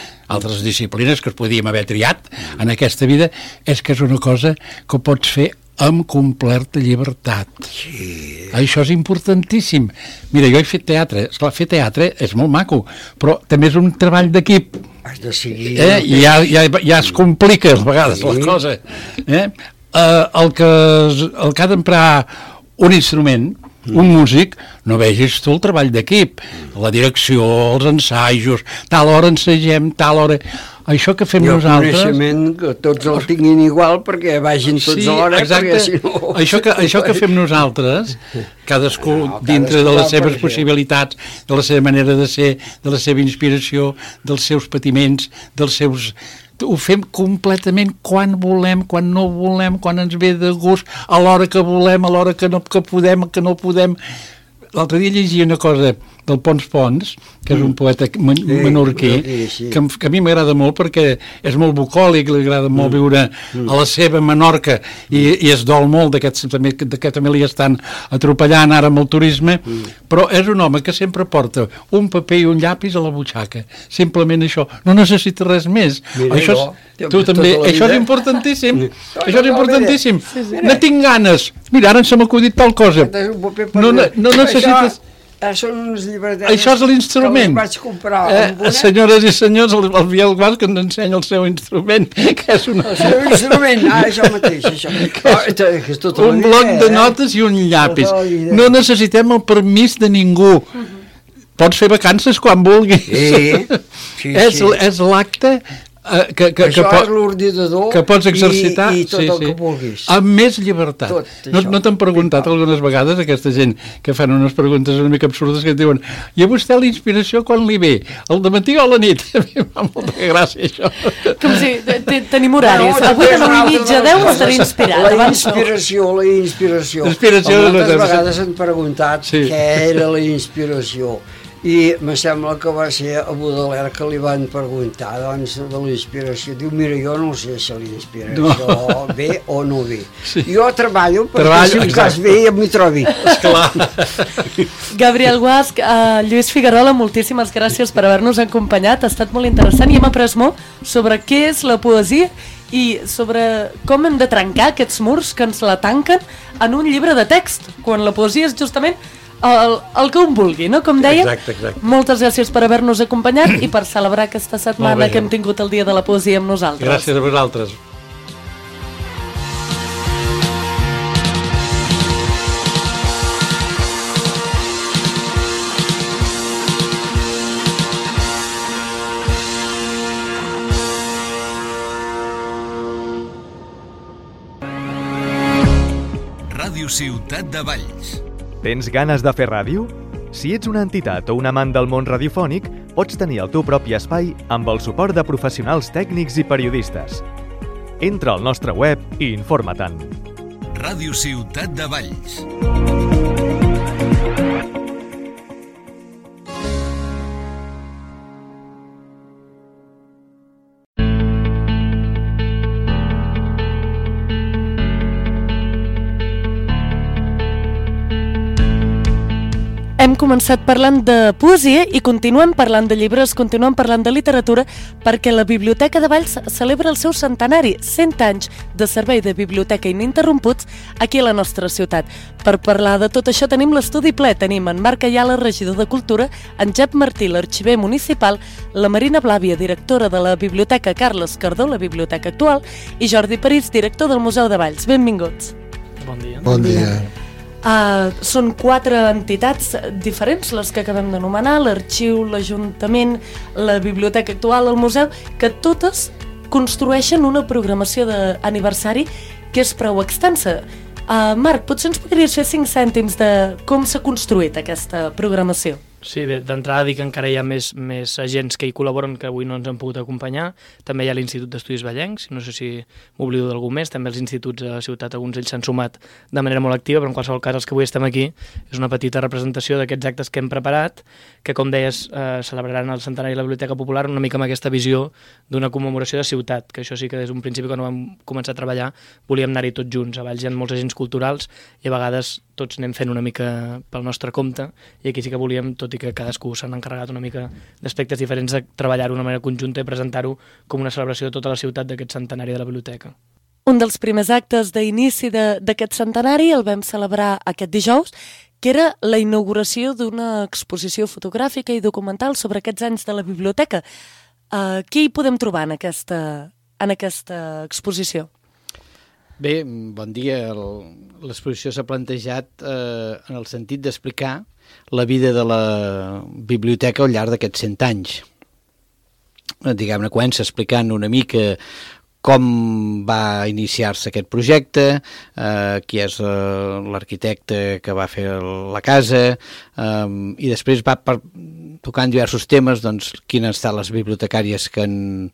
S4: disciplines que es podíem haver triat en aquesta vida, és que és una cosa que pots fer amb completa llibertat. Sí. Això és importantíssim. Mira, jo he fet teatre. Esclar, fer teatre és molt maco, però també és un treball d'equip.
S5: Has de seguir...
S4: Ja es complica, a vegades, la cosa. El que ha d'emprar un instrument, un músic, no vegis tu el treball d'equip, la direcció, els ensajos, tal hora ensagem, tal hora... Això que fem nosaltres...
S5: El coneixement, que tots el tinguin igual perquè vagin tots a l'hora, perquè si no...
S4: Això que fem nosaltres, cadascú dintre de les seves possibilitats, de la seva manera de ser, de la seva inspiració, dels seus patiments, dels seus... Ho fem completament quan volem, quan no volem, quan ens ve de gust, a l'hora que volem, a l'hora que podem, que no podem. L'altre dia llegia una cosa del Pons Pons, que és un poeta menorquí, que a mi m'agrada molt perquè és molt bucòlic, li agrada molt viure a la seva Menorca i es dol molt que també li estan atropellant ara amb el turisme, però és un home que sempre porta un paper i un llapis a la butxaca, simplement això, no necessita res més. Això és importantíssim. Això és importantíssim. No tinc ganes. Mira, ara se m'ha acudit tal cosa. No necessites...
S5: Són uns llibretetes
S4: això és l'instrument.
S5: Que vaig comprar.
S4: Senyores i senyors, el Biel Guas que ens ensenya el seu instrument, que és una...
S5: El seu instrument, això mateix, això.
S4: Un bloc de notes i un llapis. No necessitem el permís de ningú. Pots fer vacances quan vulguis. És l'acte...
S5: Això és l'ordinador
S4: que pots exercitar
S5: i tot el que vulguis.
S4: Amb més llibertat. No t'han preguntat algunes vegades aquesta gent que fan unes preguntes una mica absurdes que et diuen i a vostè la inspiració quan li ve? El dematí o a la nit? A mi fa molta gràcia això.
S2: Com si tenim horaris. Avui de 9:30 a 10 estaré inspirat.
S5: La inspiració. Moltes vegades han preguntat què era la inspiració. I me sembla que va ser a Baudelaire que li van preguntar doncs, de la inspiració. Diu, mira, jo no sé si la inspiració ve o no ve. Jo treballo perquè si un cas ve ja m'hi trobi.
S4: Esclar.
S2: Gabriel Guasch, Lluís Figuerola, moltíssimes gràcies per haver-nos acompanyat. Ha estat molt interessant i hem après molt sobre què és la poesia i sobre com hem de trencar aquests murs que ens la tanquen en un llibre de text, quan la poesia és justament el que un vulgui, no? Com deia.
S4: Exacte.
S2: Moltes gràcies per haver-nos acompanyat i per celebrar aquesta setmana que hem tingut el Dia de la Poesia amb nosaltres.
S4: Gràcies a vosaltres.
S1: Ràdio Ciutat de Valls.
S3: Tens ganes de fer ràdio? Si ets una entitat o un amant del món radiofònic, pots tenir el teu propi espai amb el suport de professionals tècnics i periodistes. Entra al nostre web i informa-te'n.
S1: Ràdio Ciutat de Valls.
S2: Hem començat parlant de poesia i continuem parlant de llibres, continuem parlant de literatura, perquè la Biblioteca de Valls celebra el seu centenari, 100 anys de servei de biblioteca ininterromputs aquí a la nostra ciutat. Per parlar de tot això tenim l'estudi ple. Tenim en Marc Ayala, regidor de Cultura, en Jep Martí, l'arxiver municipal, la Marina Blàvia, directora de la Biblioteca Carles Cardó, la biblioteca actual, i Jordi París, director del Museu de Valls. Benvinguts.
S6: Bon dia.
S7: Bon dia.
S2: Són 4 entitats diferents, les que acabem d'anomenar, l'Arxiu, l'Ajuntament, la Biblioteca Actual, el Museu, que totes construeixen una programació d'aniversari que és prou extensa. Marc, potser ens podries fer 5 cèntims de com s'ha construït aquesta programació?
S6: Sí, bé, d'entrada dic que encara hi ha més agents que hi col·laboren que avui no ens han pogut acompanyar. També hi ha l'Institut d'Estudis Vallencs, no sé si m'oblido d'algú més, també els instituts a la ciutat, alguns d'ells s'han sumat de manera molt activa, però en qualsevol cas els que avui estem aquí és una petita representació d'aquests actes que hem preparat, que com deies celebraran el centenari de la Biblioteca Popular una mica amb aquesta visió d'una commemoració de ciutat, que això sí que des d'un principi quan vam començar a treballar volíem anar-hi tots junts. A Valls hi ha molts agents culturals i a vegades tots anem fent una mica pel nostre compte i aquí sí que volíem, tot i que cadascú s'han encarregat una mica d'aspectes diferents, de treballar-ho d'una manera conjunta i presentar-ho com una celebració de tota la ciutat d'aquest centenari de la biblioteca.
S2: Un dels primers actes d'inici d'aquest centenari el vam celebrar aquest dijous, que era la inauguració d'una exposició fotogràfica i documental sobre aquests anys de la biblioteca. Què hi podem trobar en aquesta exposició?
S8: Bé, bon dia. L'exposició s'ha plantejat en el sentit d'explicar la vida de la biblioteca al llarg d'aquests 100 anys. Diguem-ne, comença explicant una mica com va iniciar-se aquest projecte, qui és l'arquitecte que va fer la casa, i després va tocant diversos temes, doncs, quines han estat les bibliotecàries que han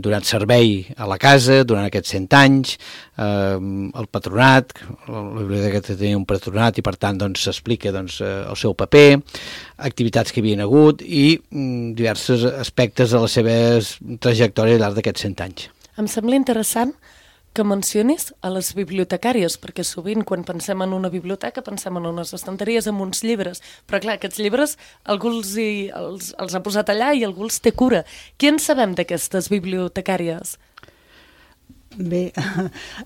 S8: donat servei a la casa durant aquests 100 anys, el patronat, la biblioteca tenia un patronat i per tant doncs, s'explica doncs, el seu paper, activitats que hi havia hagut i diversos aspectes de la seva trajectòria al llarg d'aquests 100 anys.
S2: Em sembla interessant que mencionis a les bibliotecàries, perquè sovint quan pensem en una biblioteca pensem en unes estanteries amb uns llibres, però clar, aquests llibres algú els ha posat allà i algú els té cura. Què en sabem d'aquestes bibliotecàries?
S9: Bé,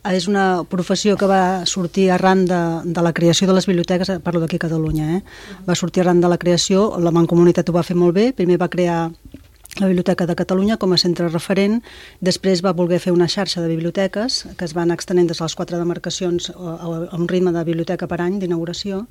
S9: és una professió que va sortir arran de la creació de les biblioteques, parlo d'aquí a Catalunya, va sortir arran de la creació, la Mancomunitat ho va fer molt bé, primer va crear la Biblioteca de Catalunya com a centre referent, després va voler fer una xarxa de biblioteques que es van extenent des de les 4 demarcacions a un ritme de biblioteca per any d'inauguració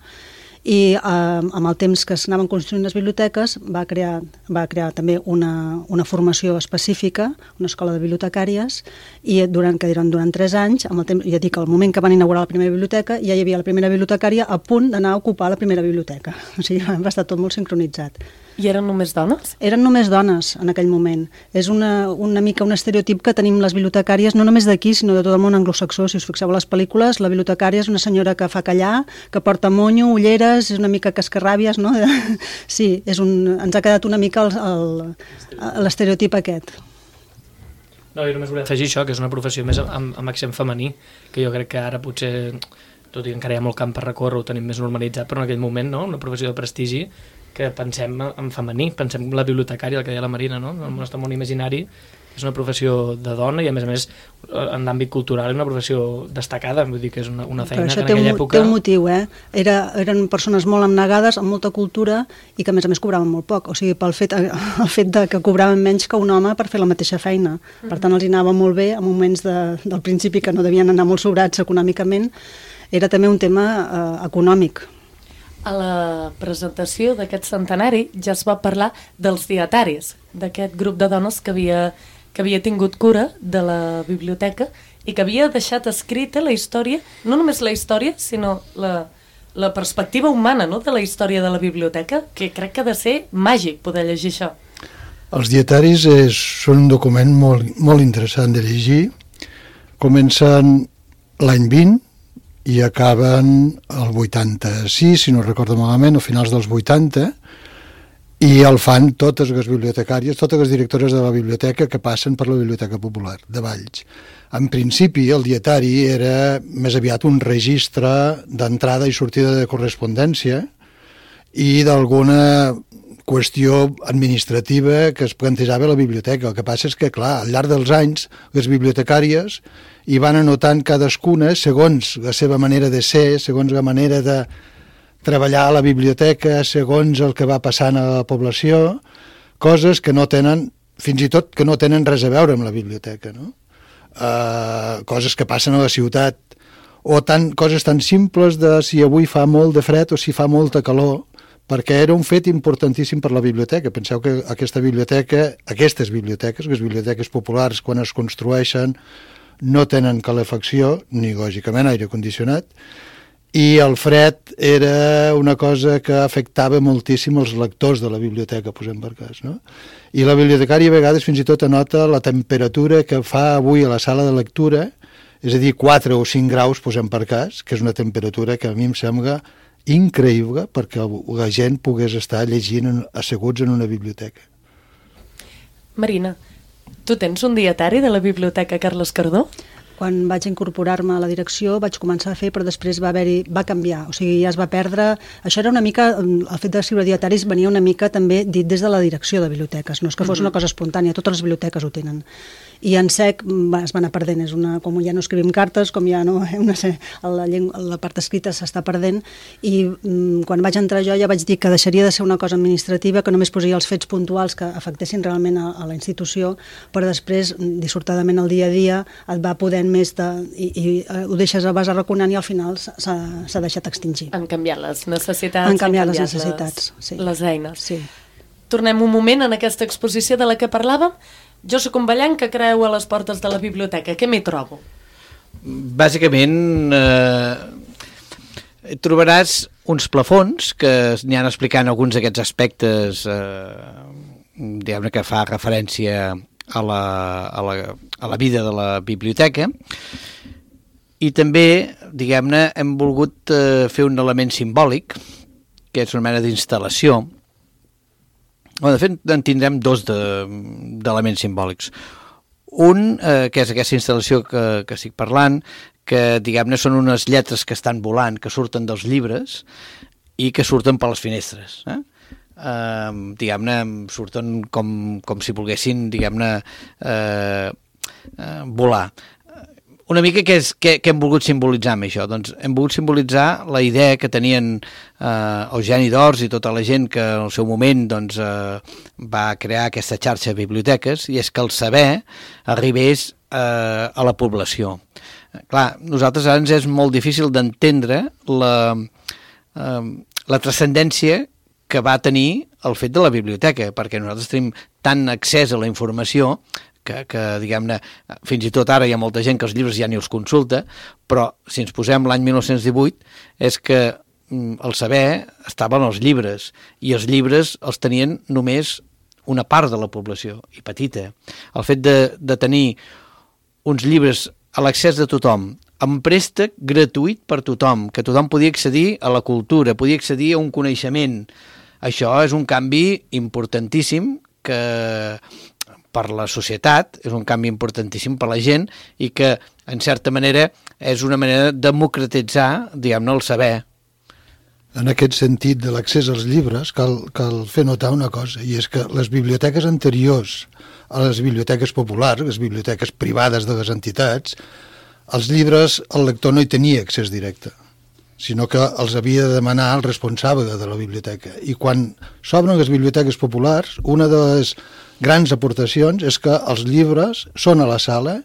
S9: i amb el temps que s'anaven construint les biblioteques va crear també una formació específica, una escola de bibliotecàries i durant 3 anys, amb el temps, ja dic, al moment que van inaugurar la primera biblioteca ja hi havia la primera bibliotecària a punt d'anar a ocupar la primera biblioteca, o sigui, va estar tot molt sincronitzat.
S2: I eren només dones?
S9: Eren només dones en aquell moment. És una mica un estereotip que tenim les bibliotecàries, no només d'aquí, sinó de tot el món anglosaxó. Si us fixeu a les pel·lícules, la bibliotecària és una senyora que fa callar, que porta monyo, ulleres, és una mica cascarràbies, no? Sí, ens ha quedat una mica l'estereotip aquest.
S6: No, jo només volia afegir això, que és una professió més amb accent femení, que jo crec que ara potser, tot i que encara hi ha molt camp per recórrer, ho tenim més normalitzat, però en aquell moment, no?, una professió de prestigi que pensem en femení, pensem en la bibliotecària, el que deia la Marina, no? El nostre món imaginari és una professió de dona i a més en l'àmbit cultural és una professió destacada, vull dir que és una feina que en aquella època...
S9: Té un motiu, eren persones molt abnegades, amb molta cultura i que a més cobraven molt poc, o sigui, el fet de que cobraven menys que un home per fer la mateixa feina. Per tant, els anava molt bé en moments del principi que no devien anar molt sobrats econòmicament. Era també un tema econòmic.
S2: A la presentació d'aquest centenari ja es va parlar dels dietaris, d'aquest grup de dones que que havia tingut cura de la biblioteca i que havia deixat escrita la història, no només la història, sinó la perspectiva humana, no?, de la història de la biblioteca, que crec que ha de ser màgic poder llegir això.
S7: Els dietaris són un document molt interessant de llegir. Comencen l'any 20 i acaben el 86, si no recordo malament, a finals dels 80, i el fan totes les bibliotecàries, totes les directores de la biblioteca que passen per la Biblioteca Popular de Valls. En principi, el dietari era més aviat un registre d'entrada i sortida de correspondència i d'alguna qüestió administrativa que es plantejava a la biblioteca. El que passa és que, clar, al llarg dels anys, les bibliotecàries hi van anotant cadascuna, segons la seva manera de ser, segons la manera de treballar a la biblioteca, segons el que va passant a la població, coses que no tenen, fins i tot que no tenen res a veure amb la biblioteca, no? Coses que passen a la ciutat, o coses tan simples de si avui fa molt de fred o si fa molta calor, perquè era un fet importantíssim per la biblioteca. Penseu que aquestes biblioteques, les biblioteques populars, quan es construeixen, no tenen calefacció, ni lògicament aire condicionat, i el fred era una cosa que afectava moltíssim els lectors de la biblioteca, posem per cas, no? I la bibliotecària a vegades fins i tot anota la temperatura que fa avui a la sala de lectura, és a dir, 4 o 5 graus, posem per cas, que és una temperatura que a mi em sembla increïble perquè la gent pogués estar llegint asseguts en una biblioteca.
S2: Marina, tu tens un dietari de la Biblioteca Carles Cardó?
S9: Quan vaig incorporar-me a la direcció vaig començar a fer, però després va canviar, o sigui, ja es va perdre. Això era una mica, el fet d'escriure dietaris venia una mica també dit des de la direcció de biblioteques, no és que fos una cosa espontània, totes les biblioteques ho tenen. I en sec es va anar perdent, com ja no escrivim cartes, com ja no, la part escrita s'està perdent, i quan vaig entrar jo ja vaig dir que deixaria de ser una cosa administrativa, que només posaria els fets puntuals que afectessin realment a la institució, però després, dissortadament al dia a dia, et va podent més i ho deixes a base raconant i al final s'ha deixat extingir.
S2: Han canviat les necessitats.
S9: Han canviat les necessitats, sí.
S2: Les eines.
S9: Sí.
S2: Tornem un moment en aquesta exposició de la que parlàvem. Jo soc un ballant que creu a les portes de la biblioteca. Què m'hi trobo?
S8: Bàsicament trobaràs uns plafons que n'hi han explicant alguns d'aquests aspectes diguem-ne que fa referència a la vida de la biblioteca, i també, diguem-ne, hem volgut fer un element simbòlic, que és una mena d'instal·lació. De fet, en tindrem dos d'elements simbòlics. Un, que és aquesta instal·lació que estic parlant, que, diguem-ne, són unes lletres que estan volant, que surten dels llibres i que surten per les finestres. Diguem-ne, surten com si volguessin, diguem-ne, volar. Una mica què hem volgut simbolitzar amb això? Doncs hem volgut simbolitzar la idea que tenien Eugeni d'Ors i tota la gent que en el seu moment doncs, va crear aquesta xarxa de biblioteques, i és que el saber arribés a la població. Clar, nosaltres ara ens és molt difícil d'entendre la transcendència que va tenir el fet de la biblioteca, perquè nosaltres tenim tant accés a la informació que diguem-ne, fins i tot ara hi ha molta gent que els llibres ja ni els consulta, però si ens posem l'any 1918 és que el saber estava en els llibres, i els llibres els tenien només una part de la població, i petita. El fet de tenir uns llibres a l'accés de tothom, amb préstec gratuït per tothom, que tothom podia accedir a la cultura, podia accedir a un coneixement, això és un canvi importantíssim que per la societat, és un canvi importantíssim per la gent, i que, en certa manera, és una manera de democratitzar, diguem-ne, el saber.
S7: En aquest sentit de l'accés als llibres, cal fer notar una cosa, i és que les biblioteques anteriors a les biblioteques populars, les biblioteques privades de les entitats, els llibres el lector no hi tenia accés directe, sinó que els havia de demanar el responsable de la biblioteca. I quan s'obren les biblioteques populars, una de les grans aportacions és que els llibres són a la sala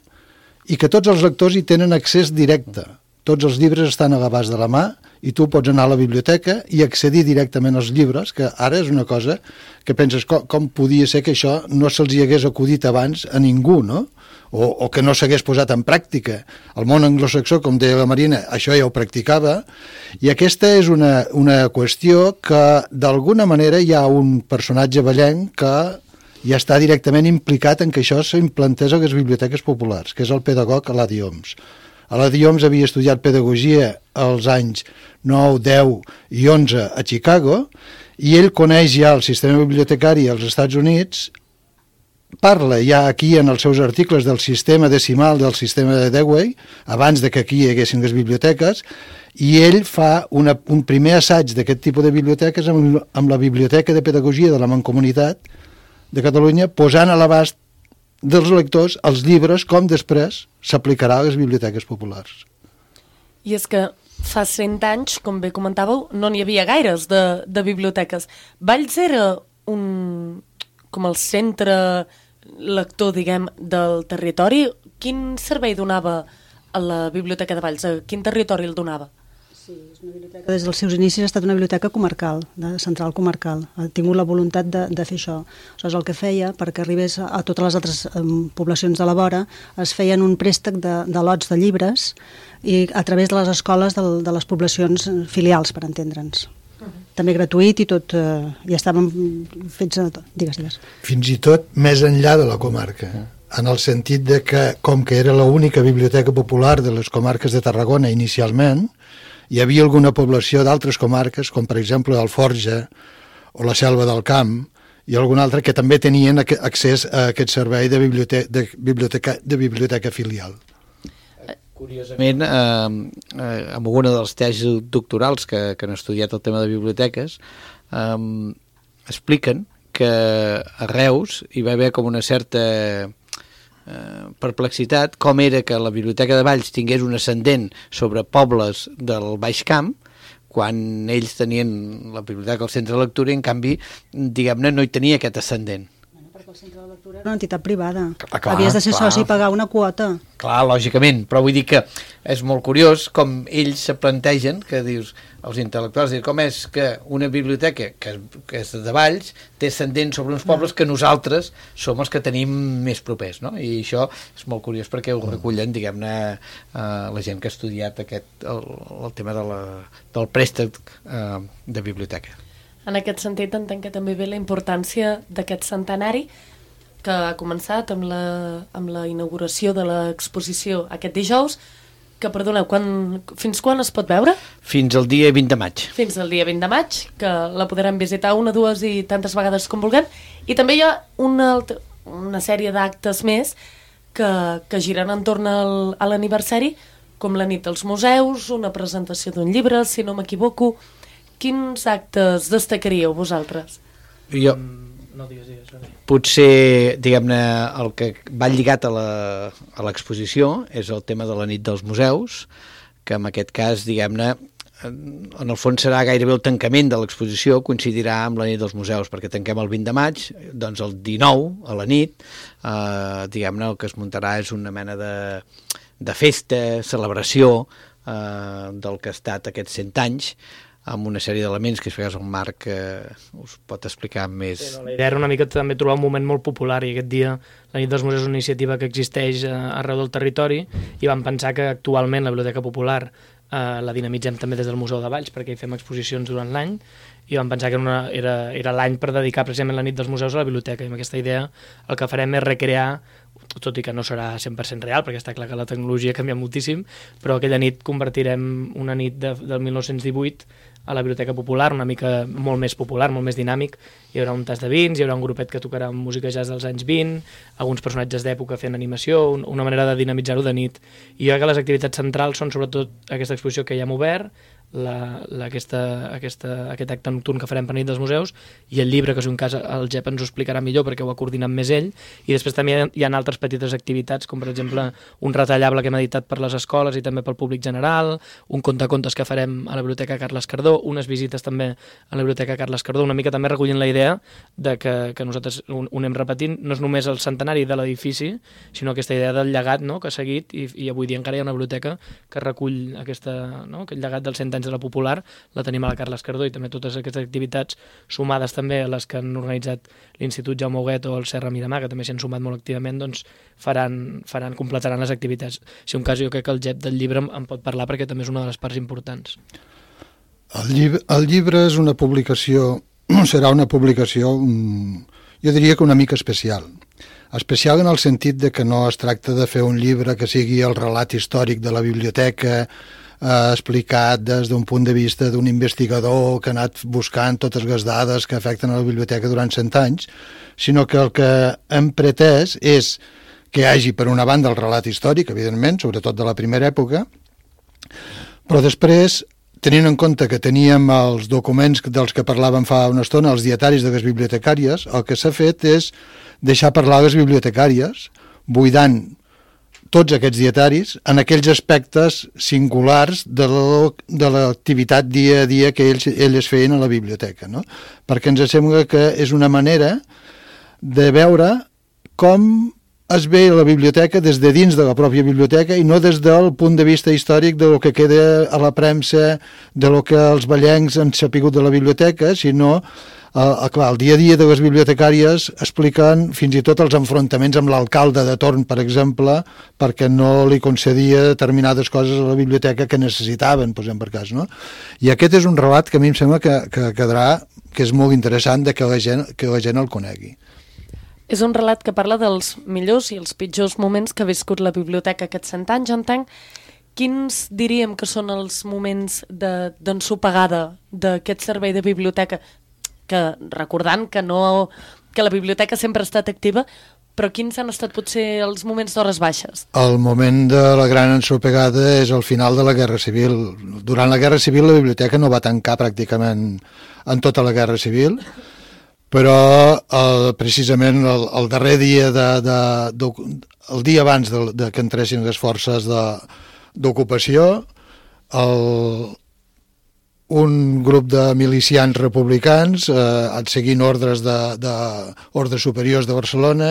S7: i que tots els lectors hi tenen accés directe. Tots els llibres estan a l'abast de la mà i tu pots anar a la biblioteca i accedir directament als llibres, que ara és una cosa que penses com podia ser que això no se'ls hi hagués acudit abans a ningú, no? O que no s'hagués posat en pràctica. El món anglosaxó, com deia la Marina, això ja ho practicava, i aquesta és una qüestió que d'alguna manera hi ha un personatge vallenc que ja està directament implicat en que això s'implantés a les biblioteques populars, que és el pedagog Eladi Homs. Eladi Homs havia estudiat pedagogia als anys 9, 10 i 11 a Chicago, i ell coneix ja el sistema bibliotecari als Estats Units, parla ja aquí en els seus articles del sistema decimal del sistema de Dewey, abans de que aquí hi haguessin les biblioteques, i ell fa un primer assaig d'aquest tipus de biblioteques amb la Biblioteca de Pedagogia de la Mancomunitat de Catalunya, posant a l'abast dels lectors els llibres com després s'aplicarà a les biblioteques populars.
S2: I és que fa 100 anys, com bé comentàveu, no n'hi havia gaires de biblioteques. Valls era com el centre lector, diguem, del territori. Quin servei donava a la Biblioteca de Valls? A quin territori el donava?
S9: Sí, és una biblioteca. Des dels seus inicis ha estat una biblioteca comarcal, central comarcal. Ha tingut la voluntat de fer això. Això és el que feia, perquè arribés a totes les altres poblacions de la vora, es feien un préstec de lots de llibres i a través de les escoles de les poblacions filials, per entendre'ns. També gratuït i tot, ja estàvem fets a tot. Digues.
S7: Fins i tot més enllà de la comarca, en el sentit de que, com que era l'única biblioteca popular de les comarques de Tarragona inicialment, hi havia alguna població d'altres comarques, com per exemple Alforja o la Selva del Camp, i alguna altra que també tenien accés a aquest servei de biblioteca filial.
S8: Curiosament, amb alguna de les tesis doctorals que han estudiat el tema de biblioteques, expliquen que a Reus hi va haver com una certa perplexitat com era que la Biblioteca de Valls tingués un ascendent sobre pobles del Baix Camp, quan ells tenien la biblioteca al centre de lectura i en canvi, diguem-ne, no hi tenia aquest ascendent.
S9: El centre de lectura era una entitat privada.
S8: Clar,
S9: havies de ser soci i pagar una quota.
S8: Clar, lògicament, però vull dir que és molt curiós com ells se plantegen, que dius, els intel·lectuals, com és que una biblioteca que és de Valls té ascendent sobre uns pobles que nosaltres som els que tenim més propers, no? I això és molt curiós perquè ho recullen, diguem-ne, la gent que ha estudiat el tema del préstec de biblioteca.
S2: En aquest sentit, entenc que també ve la importància d'aquest centenari que ha començat amb la inauguració de l'exposició aquest dijous, que, perdoneu, fins quan es pot veure?
S8: Fins al dia 20 de maig.
S2: Fins al dia 20 de maig, que la podrem visitar una, dues i tantes vegades com vulguem. I també hi ha una sèrie d'actes més que giren entorn a l'aniversari, com la nit dels museus, una presentació d'un llibre, si no m'equivoco. Quins actes destacaríeu vosaltres?
S8: Jo, potser, diguem-ne, el que va lligat a l'exposició és el tema de la nit dels museus, que en aquest cas, diguem-ne, en el fons serà gairebé el tancament de l'exposició, coincidirà amb la nit dels museus, perquè tanquem el 20 de maig, doncs el 19, a la nit, diguem-ne, el que es muntarà és una mena de festa, celebració del que ha estat aquests 100 anys, amb una sèrie d'elements que, si el Marc us pot explicar més.
S6: Sí, la idea era una mica també trobar un moment molt popular, i aquest dia la nit dels museus és una iniciativa que existeix arreu del territori, i vam pensar que actualment la Biblioteca Popular la dinamitzem també des del Museu de Valls, perquè hi fem exposicions durant l'any, i vam pensar que era l'any per dedicar precisament la nit dels museus a la biblioteca, i amb aquesta idea el que farem és recrear, tot i que no serà 100% real, perquè està clar que la tecnologia canvia moltíssim, però aquella nit convertirem una nit del 1918 a la Biblioteca Popular, una mica molt més popular, molt més dinàmic. Hi haurà un tas de vins, hi haurà un grupet que tocarà música jazz dels anys 20, alguns personatges d'època fent animació, una manera de dinamitzar-ho de nit. I jo crec que les activitats centrals són sobretot aquesta exposició que ja hem obert, aquest acte nocturn que farem per nit dels museus, i el llibre, que és un cas el Jep ens ho explicarà millor perquè ho ha coordinat més ell, i després també hi ha altres petites activitats, com per exemple un retallable que hem editat per les escoles i també pel públic general, un contacontes que farem a la Biblioteca Carles Cardó, unes visites també a la Biblioteca Carles Cardó, una mica també recollint la idea de que nosaltres ho anem repetint, no és només el centenari de l'edifici, sinó aquesta idea del llegat, no?, que ha seguit, i avui dia encara hi ha una biblioteca que recull aquest llegat dels 100 anys anys de la Popular, la tenim a la Carles Cardó, i també totes aquestes activitats sumades també a les que han organitzat l'Institut Jaume Huguet o el Serra Miramar, que també s'hi han sumat molt activament, doncs completaran les activitats. Si un cas, jo crec que el Jep del llibre en pot parlar perquè també és una de les parts importants.
S7: El llibre és una publicació, serà una publicació, jo diria que una mica especial. Especial en el sentit de que no es tracta de fer un llibre que sigui el relat històric de la biblioteca explicat des d'un punt de vista d'un investigador que ha anat buscant totes les dades que afecten a la biblioteca durant 100 anys, sinó que el que hem pretès és que hi hagi, per una banda, el relat històric, evidentment, sobretot de la primera època, però després, tenint en compte que teníem els documents dels que parlàvem fa una estona, els dietaris de les bibliotecàries, el que s'ha fet és deixar parlar les bibliotecàries, buidant tots aquests dietaris en aquells aspectes singulars de l'activitat dia a dia que elles feien a la biblioteca, no? Perquè ens sembla que és una manera de veure com es ve la biblioteca des de dins de la pròpia biblioteca i no des del punt de vista històric de lo que queda a la premsa, de lo que els ballencs han sapigut de la biblioteca, sinó clar, el dia a dia de les bibliotecàries expliquen fins i tot els enfrontaments amb l'alcalde de torn, per exemple, perquè no li concedia determinades coses a la biblioteca que necessitaven, posem per cas, no? I aquest és un relat que a mi em sembla que quedarà, que és molt interessant de que la gent el conegui.
S2: És un relat que parla dels millors i els pitjors moments que ha viscut la biblioteca aquests 100 anys, entenc. Quins diríem que són els moments d'ensopegada d'aquest servei de biblioteca? Que recordant que la biblioteca sempre ha estat activa, però quins han estat potser els moments d'hores baixes?
S7: El moment de la gran ensopegada és el final de la Guerra Civil. Durant la Guerra Civil la biblioteca no va tancar pràcticament en tota la Guerra Civil, però precisament el darrer dia, el dia abans de que entressin les forces d'ocupació, un grup de milicians republicans, seguint ordres ordres superiors de Barcelona,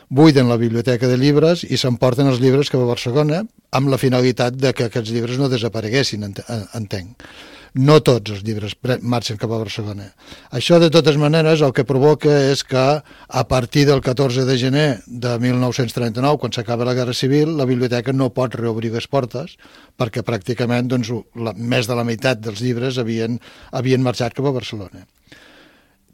S7: buiden la biblioteca de llibres i s'emporten els llibres cap a Barcelona amb la finalitat de que aquests llibres no desapareguessin, entenc. No tots els llibres marxen cap a Barcelona. Això, de totes maneres, el que provoca és que a partir del 14 de gener de 1939, quan s'acaba la Guerra Civil, la biblioteca no pot reobrir les portes perquè pràcticament més de la meitat dels llibres havien marxat cap a Barcelona.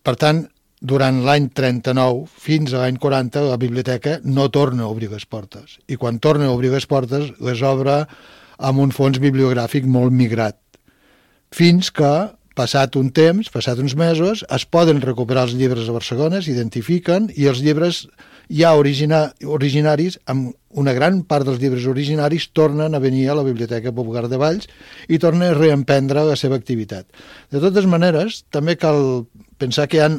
S7: Per tant, durant l'any 39 fins a l'any 40 la biblioteca no torna a obrir les portes. I quan torna a obrir les portes les obre amb un fons bibliogràfic molt migrat. Fins que, passat un temps, passat uns mesos, es poden recuperar els llibres a Barcelona, s'identifiquen, i els llibres ja originaris, amb una gran part dels llibres originaris, tornen a venir a la Biblioteca Popular de Valls i tornen a reemprendre la seva activitat. De totes maneres, també cal pensar que hi ha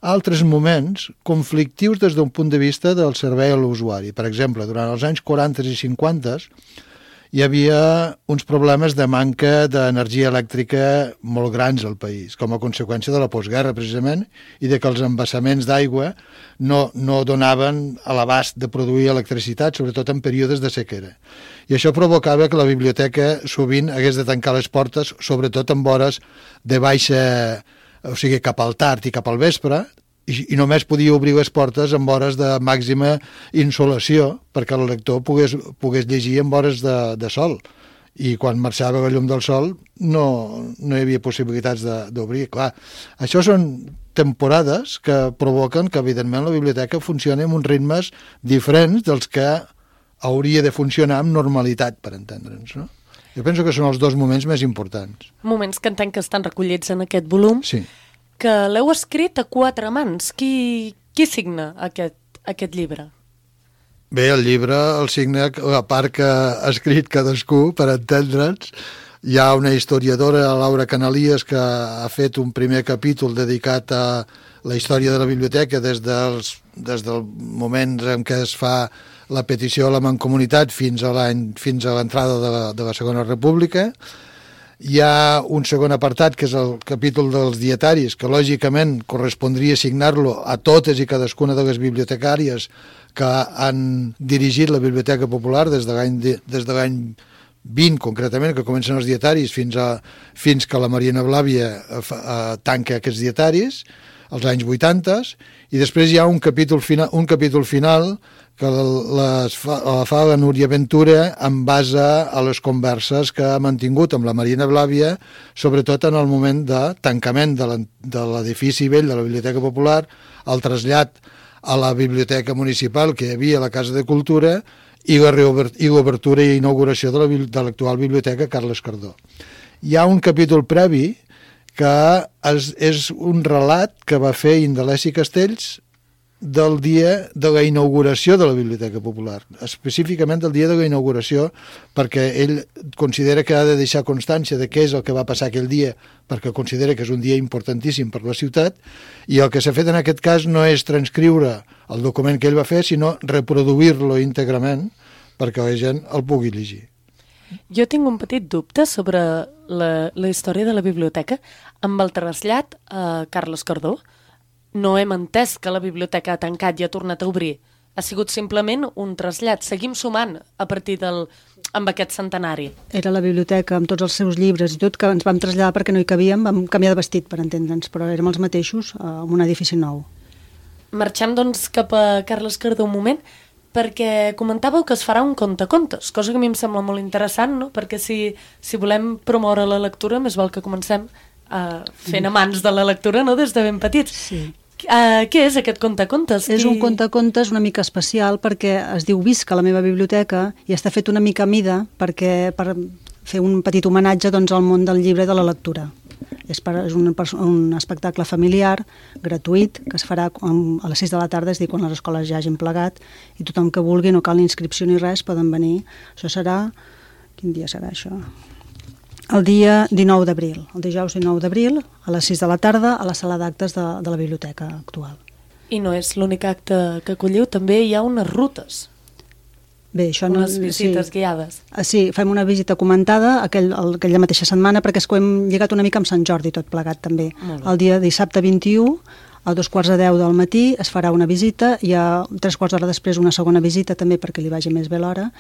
S7: altres moments conflictius des d'un punt de vista del servei a l'usuari. Per exemple, durant els anys 40 i 50 hi havia uns problemes de manca d'energia elèctrica molt grans al país, com a conseqüència de la postguerra, precisament, i de que els embassaments d'aigua no donaven a l'abast de produir electricitat, sobretot en períodes de sequera. I això provocava que la biblioteca sovint hagués de tancar les portes, sobretot en hores de baixa, o sigui, cap al tard i cap al vespre, i només podia obrir les portes en hores de màxima insolació perquè el lector pogués llegir en hores de sol, i quan marxava la llum del sol no hi havia possibilitats d'obrir. Clar, això són temporades que provoquen que evidentment la biblioteca funcioni amb uns ritmes diferents dels que hauria de funcionar amb normalitat, per entendre'ns, no? Jo penso que són els dos moments més importants.
S2: Moments que entenc que estan recollits en aquest volum.
S7: Sí.
S2: Que l'heu escrit a 4 mans. Qui signa aquest llibre?
S7: Bé, el llibre el signa la part que ha escrit cadascú, per entendre'ns. Hi ha una historiadora, Laura Canalies, que ha fet un primer capítol dedicat a la història de la biblioteca des del moment en què es fa la petició a la Mancomunitat fins a l'entrada de la Segona República. Hi ha un segon apartat, que és el capítol dels dietaris, que lògicament correspondria signar-lo a totes i cadascuna de les bibliotecàries que han dirigit la Biblioteca Popular des de l'any 20 concretament, que comencen els dietaris fins que la Marina Blàvia tanca aquests dietaris, als anys 80, i després hi ha un capítol final que la fa la Núria Ventura en base a les converses que ha mantingut amb la Marina Blàvia, sobretot en el moment de tancament de l'edifici vell de la Biblioteca Popular, el trasllat a la biblioteca municipal que hi havia a la Casa de Cultura i l'obertura i inauguració de l'actual biblioteca Carles Cardó. Hi ha un capítol previ que és un relat que va fer Indaleci Castells del dia de la inauguració de la Biblioteca Popular, específicament del dia de la inauguració, perquè ell considera que ha de deixar constància de què és el que va passar aquell dia, perquè considera que és un dia importantíssim per la ciutat, i el que s'ha fet en aquest cas no és transcriure el document que ell va fer, sinó reproduir-lo íntegrament perquè la gent el pugui llegir.
S2: Jo tinc un petit dubte sobre la història de la biblioteca. Amb el trasllat a Carles Cardó, no hem entès que la biblioteca ha tancat i ha tornat a obrir. Ha sigut simplement un trasllat. Seguim sumant a partir amb aquest centenari.
S9: Era la biblioteca amb tots els seus llibres i tot, que ens vam traslladar perquè no hi cabíem, vam canviar de vestit, per entendre'ns, però érem els mateixos en un edifici nou.
S2: Marxem, doncs, cap a Carles Cardó un moment, perquè comentàveu que es farà un contacontes, cosa que a mi em sembla molt interessant, no? Perquè si volem promoure la lectura, més val que comencem fent amants de la lectura, no?, des de ben petits.
S9: Sí.
S2: Què és aquest contacontes?
S9: És un contacontes una mica especial perquè es diu Visca a la meva biblioteca i està fet una mica a mida per fer un petit homenatge, doncs, al món del llibre i de la lectura. És un espectacle familiar, gratuït, que es farà a les 6 de la tarda, és a dir, quan les escoles ja hagin plegat, i tothom que vulgui, no cal ni inscripció ni res, poden venir. Això serà... Quin dia serà això? El dia 19 d'abril, el dijous 19 d'abril, a les 6 de la tarda, a la sala d'actes de la biblioteca actual.
S2: I no és l'únic acte que acolliu, també hi ha unes rutes.
S9: Bé, això no...
S2: Unes visites guiades.
S9: Sí, fem una visita comentada aquella mateixa setmana, perquè és que ho hem lligat una mica amb Sant Jordi, tot plegat també. El dia dissabte 21, a 2:45 del matí, es farà una visita, i a 3 quarts d'hora després una segona visita, també perquè li vagi més bé l'hora.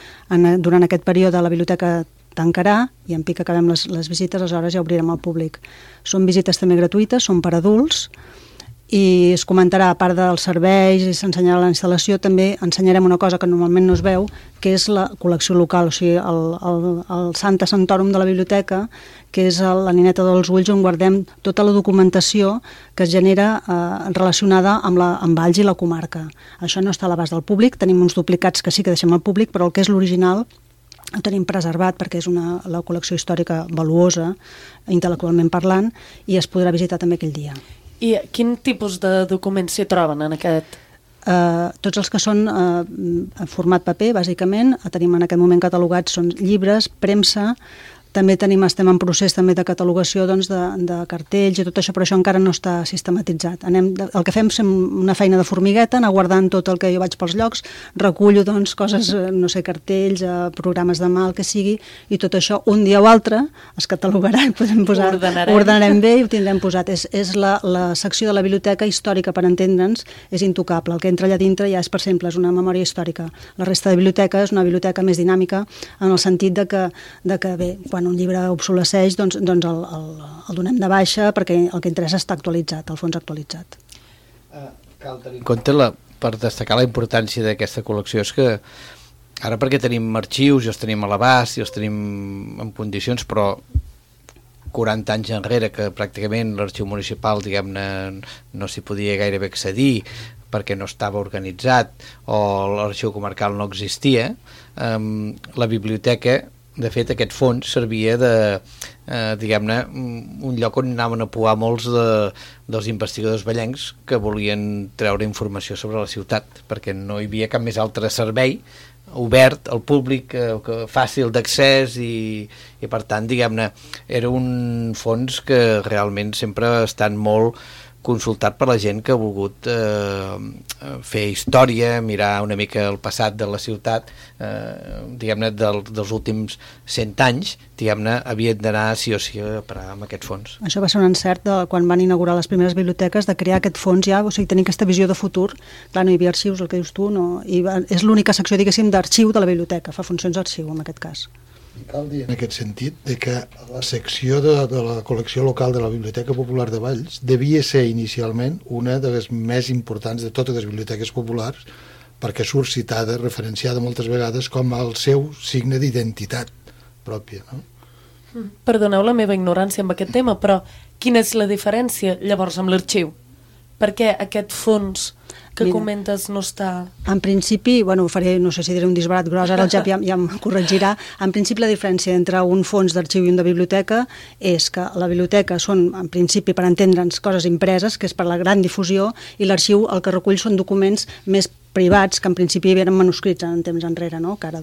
S9: Durant aquest període la biblioteca tancarà, i en pic acabem les visites, aleshores ja obrirem al públic. Són visites també gratuïtes, són per adults, i es comentarà, a part dels serveis i s'ensenyarà la instal·lació, també ensenyarem una cosa que normalment no es veu, que és la col·lecció local, o sigui, el Santa Santorum de la biblioteca, que és la nineta dels ulls on guardem tota la documentació que es genera relacionada amb Valls i la comarca. Això no està a l'abast del públic, tenim uns duplicats que sí que deixem al públic, però el que és l'original ho tenim preservat perquè és la col·lecció històrica valuosa, intel·lectualment parlant, i es podrà visitar també aquell dia.
S2: I quin tipus de documents s'hi troben en aquest?
S9: Tots els que són en format paper, bàsicament, tenim en aquest moment catalogats, són llibres, premsa, també estem en procés també de catalogació, doncs, de cartells i tot això, però això encara no està sistematitzat. El que fem és una feina de formigueta, anar guardant tot el que jo vaig pels llocs, recullo, doncs, coses, no sé, cartells, programes de mà, el que sigui, i tot això un dia o altre es catalogarà i podem posar... Ordenarem bé i ho tindrem posat. És la secció de la biblioteca històrica, per entendre'ns, és intocable. El que entra allà dintre ja és, per exemple, és una memòria històrica. La resta de biblioteca és una biblioteca més dinàmica en el sentit de que bé, quan un llibre obsolesceix, doncs el donem de baixa perquè el que interessa està actualitzat, el fons actualitzat.
S8: Cal tenir en compte, per destacar la importància d'aquesta col·lecció, és que ara perquè tenim arxius i els tenim a l'abast i els tenim en condicions, però 40 anys enrere que pràcticament l'arxiu municipal, diguem-ne, no s'hi podia gairebé accedir perquè no estava organitzat o l'arxiu comarcal no existia, la biblioteca, de fet, aquest fons servia de, diguem-ne, un lloc on anaven a pouar molts dels investigadors vallencs que volien treure informació sobre la ciutat, perquè no hi havia cap més altre servei obert al públic, fàcil d'accés i per tant, diguem-ne, era un fons que realment sempre ha estat molt consultat per la gent que ha volgut fer història, mirar una mica el passat de la ciutat, diguem-ne, dels últims 100 anys, diguem-ne, havien d'anar sí o sí a parar amb aquest fons.
S9: Això va ser un encert quan van inaugurar les primeres biblioteques, de crear aquest fons ja, o sigui, tenir aquesta visió de futur. Clar, no hi havia arxius, el que dius tu, no, és l'única secció, diguéssim, d'arxiu de la biblioteca, fa funcions d'arxiu en aquest cas.
S7: Cal dir en aquest sentit de que la secció de la col·lecció local de la Biblioteca Popular de Valls devia ser inicialment una de les més importants de totes les biblioteques populars, perquè surt citada, referenciada moltes vegades com el seu signe d'identitat pròpia, no?
S2: Perdoneu la meva ignorància amb aquest tema, però quina és la diferència llavors amb l'arxiu? Per què aquest fons que comentes no està...
S9: En principi, bueno, faré, no sé si diré un disbarat gros, ara el Jap ja em corregirà. En principi la diferència entre un fons d'arxiu i un de biblioteca és que la biblioteca són, en principi, per entendre'ns, coses impreses, que és per la gran difusió, i l'arxiu el que recull són documents més privats, que en principi eren manuscrits en temps enrere, no? Que ara,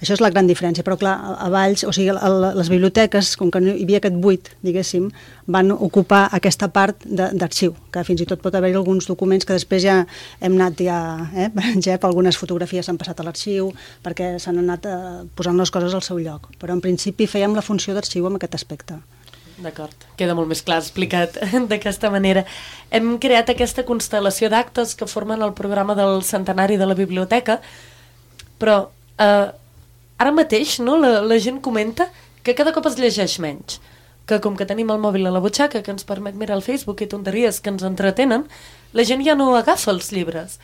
S9: això és la gran diferència, però clar, a Valls, o sigui, les biblioteques, com que no hi havia aquest buit, diguéssim, van ocupar aquesta part d'arxiu, que fins i tot pot haver-hi alguns documents que després ja hem anat Jep, algunes fotografies s'han passat a l'arxiu, perquè s'han anat posant les coses al seu lloc, però en principi fèiem la funció d'arxiu amb aquest aspecte.
S2: D'acord, queda molt més clar explicat d'aquesta manera. Hem creat aquesta constel·lació d'actes que formen el programa del centenari de la biblioteca, però ara mateix no, la gent comenta que cada cop es llegeix menys, que com que tenim el mòbil a la butxaca que ens permet mirar el Facebook i tonteries que ens entretenen, la gent ja no agafa els llibres.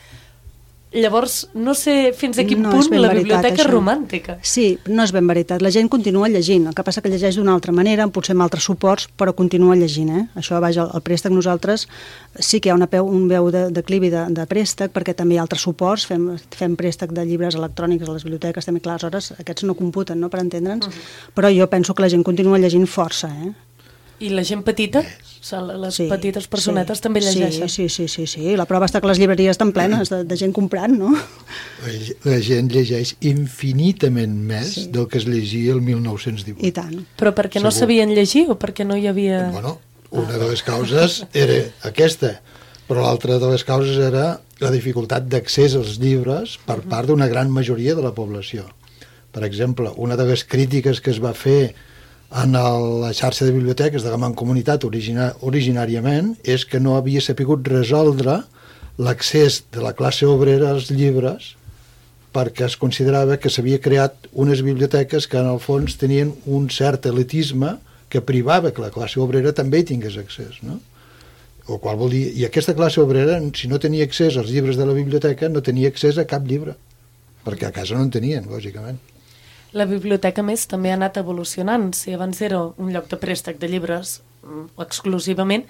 S2: Llavors, no sé fins a quin punt la biblioteca és romàntica.
S9: Sí, no és ben veritat. La gent continua llegint, el que passa que llegeix d'una altra manera, potser amb altres suports, però continua llegint. Això, vaja, el préstec nosaltres sí que hi ha un veu de declivi de préstec, perquè també hi ha altres suports, fem préstec de llibres electrònics a les biblioteques, també, clar, aleshores aquests no computen, no?, per entendre'ns, però jo penso que la gent continua llegint força,
S2: I la gent petita? Les petites personetes també llegeixen?
S9: Sí. La prova està que les llibreries estan plenes de gent comprant, no?
S7: La gent llegeix infinitament més del que es llegia el 1918.
S9: I tant.
S2: Però perquè no sabien llegir o perquè no hi havia...
S7: Bueno, una de les causes era aquesta, però l'altra de les causes era la dificultat d'accés als llibres per part d'una gran majoria de la població. Per exemple, una de les crítiques que es va fer en la xarxa de biblioteques de la Mancomunitat originàriament és que no havia sapigut resoldre l'accés de la classe obrera als llibres perquè es considerava que s'havia creat unes biblioteques que en el fons tenien un cert elitisme que privava que la classe obrera també hi tingués accés, no? O qual vol dir, i aquesta classe obrera, si no tenia accés als llibres de la biblioteca, no tenia accés a cap llibre, perquè a casa no en tenien, lògicament.
S2: La biblioteca, més, també ha anat evolucionant. Si abans era un lloc de préstec de llibres exclusivament,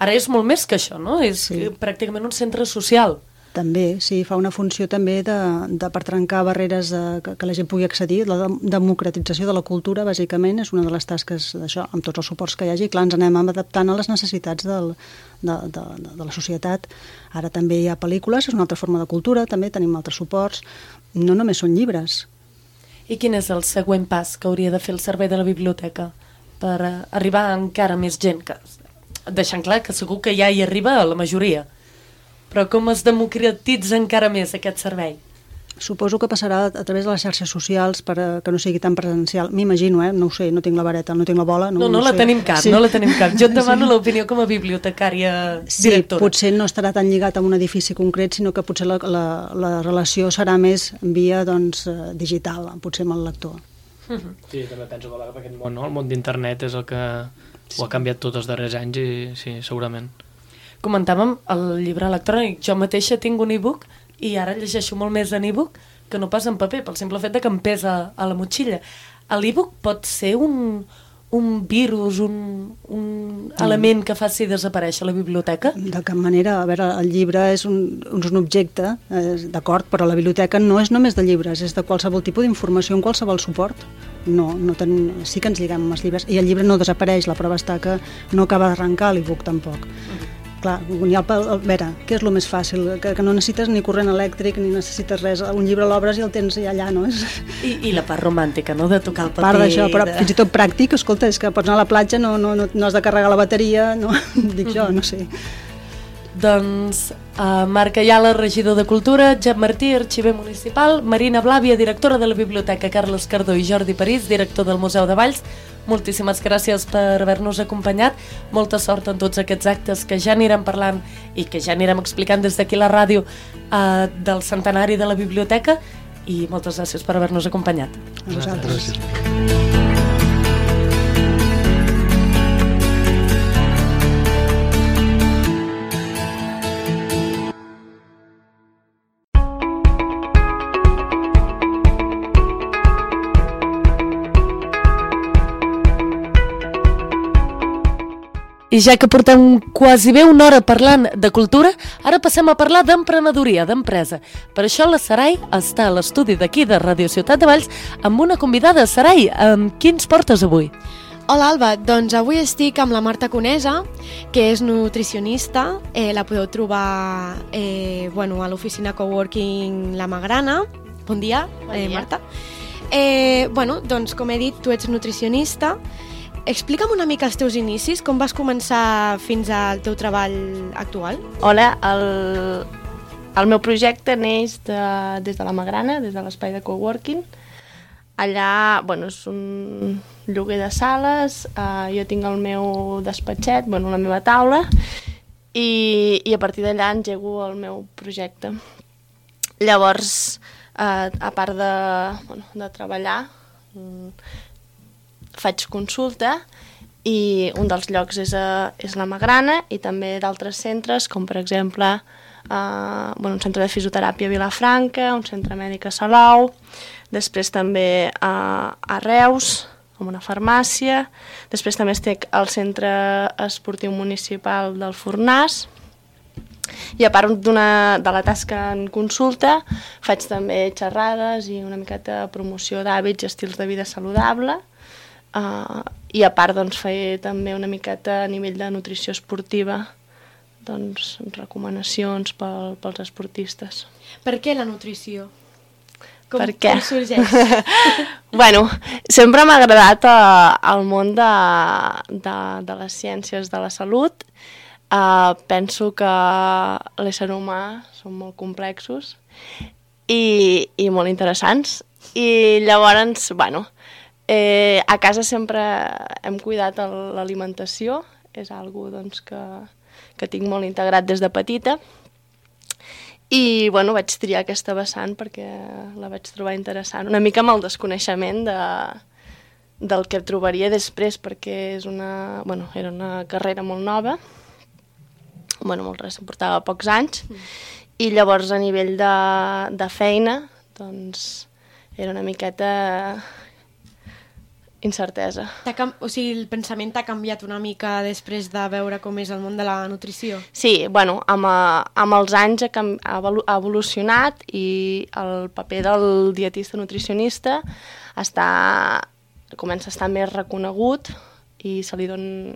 S2: ara és molt més que això, no? És pràcticament un centre social.
S9: També, sí, fa una funció també per trencar barreres que la gent pugui accedir. La democratització de la cultura, bàsicament, és una de les tasques d'això, amb tots els suports que hi hagi. Clar, ens anem adaptant a les necessitats de la societat. Ara també hi ha pel·lícules, és una altra forma de cultura, també tenim altres suports. No només són llibres.
S2: I quin és el següent pas que hauria de fer el servei de la biblioteca per arribar a encara més gent? Deixant clar que segur que ja hi arriba a la majoria. Però com es democratitza encara més aquest servei?
S9: Suposo que passarà a través de les xarxes socials per que no sigui tan presencial. M'imagino, no ho sé, no tinc la vareta, no tinc la bola.
S2: No la tenim cap, no la tenim cap. Jo et demano l'opinió com a bibliotecària directora.
S9: Sí, potser no estarà tan lligat a un edifici concret, sinó que potser la relació serà més via digital, potser amb el lector.
S6: Sí, també penso que aquest món, no? El món d'internet és el que ho ha canviat tots els darrers anys i sí, segurament.
S2: Comentàvem el llibre electrònic. Jo mateixa tinc un e-book i ara llegeixo molt més en e-book que no pas en paper, pel simple fet que em pesa a la motxilla. L'e-book pot ser un virus, un element que faci desaparèixer la biblioteca?
S9: De cap manera. A veure, el llibre és un objecte, d'acord, però la biblioteca no és només de llibres, és de qualsevol tipus d'informació, en qualsevol suport. Sí que ens lliguem amb els llibres, i el llibre no desapareix, la prova està que no acaba d'arrencar l'e-book tampoc. Clar, a veure, què és el més fàcil? Que no necessites ni corrent elèctric ni necessites res, un llibre l'obres i el tens allà, no?
S2: I la part romàntica, no?, de tocar el paper.
S9: Part d'això, però fins i tot pràctic, escolta, és que pots anar a la platja, no has de carregar la bateria, no? Dic jo, no sé.
S2: Doncs Marc Ayala, regidor de Cultura, Jep Martí, arxiver municipal, Marina Blàvia, directora de la Biblioteca Carles Cardó, i Jordi París, director del Museu de Valls. Moltíssimes gràcies per haver-nos acompanyat. Molta sort en tots aquests actes que ja anirem parlant i que ja anirem explicant des d'aquí la ràdio del centenari de la biblioteca, i moltes gràcies per haver-nos acompanyat.
S9: A vosaltres.
S7: Gràcies.
S2: I ja que portem quasi bé una hora parlant de cultura, ara passem a parlar d'emprenedoria, d'empresa. Per això la Sarai està a l'estudi d'aquí de Ràdio Ciutat de Valls amb una convidada. Sarai, qui ens portes avui?
S10: Hola Alba, doncs avui estic amb la Marta Conesa, que és nutricionista. La podeu trobar a l'oficina Coworking La Magrana. Bon dia, Marta. Doncs com he dit, tu ets nutricionista. Explica'm una mica els teus inicis, com vas començar fins al teu treball actual?
S11: Hola, el meu projecte neix des de la Magrana, des de l'espai de coworking. Allà, és un lloguer de sales, jo tinc el meu despatxet, la meva taula, i a partir d'allà engego el meu projecte. Llavors, a part de treballar, faig consulta i un dels llocs és la Magrana i també d'altres centres, com per exemple un centre de fisioteràpia a Vilafranca, un centre mèdic a Salou, després també a Reus, amb una farmàcia, després també estic al centre esportiu municipal del Fornàs, i a part de la tasca en consulta faig també xerrades i una miqueta de promoció d'hàbits i estils de vida saludable. I a part fer també una miqueta a nivell de nutrició esportiva, recomanacions pels esportistes.
S10: Per què la nutrició?
S11: Per què?
S10: Com sorgeix?
S11: Sempre m'ha agradat el món de les ciències de la salut. Penso que l'ésser humà són molt complexos i molt interessants. I llavors, a casa sempre hem cuidat l'alimentació, és algo que tinc molt integrat des de petita, i vaig triar aquesta vessant perquè la vaig trobar interessant, una mica amb el desconeixement del que trobaria després, perquè era una carrera molt nova, molt recent, portava pocs anys, i llavors a nivell de feina era una miqueta incertesa.
S10: O sigui, el pensament t'ha canviat una mica després de veure com és el món de la nutrició?
S11: Sí, amb els anys ha evolucionat i el paper del dietista nutricionista comença a estar més reconegut i se li dona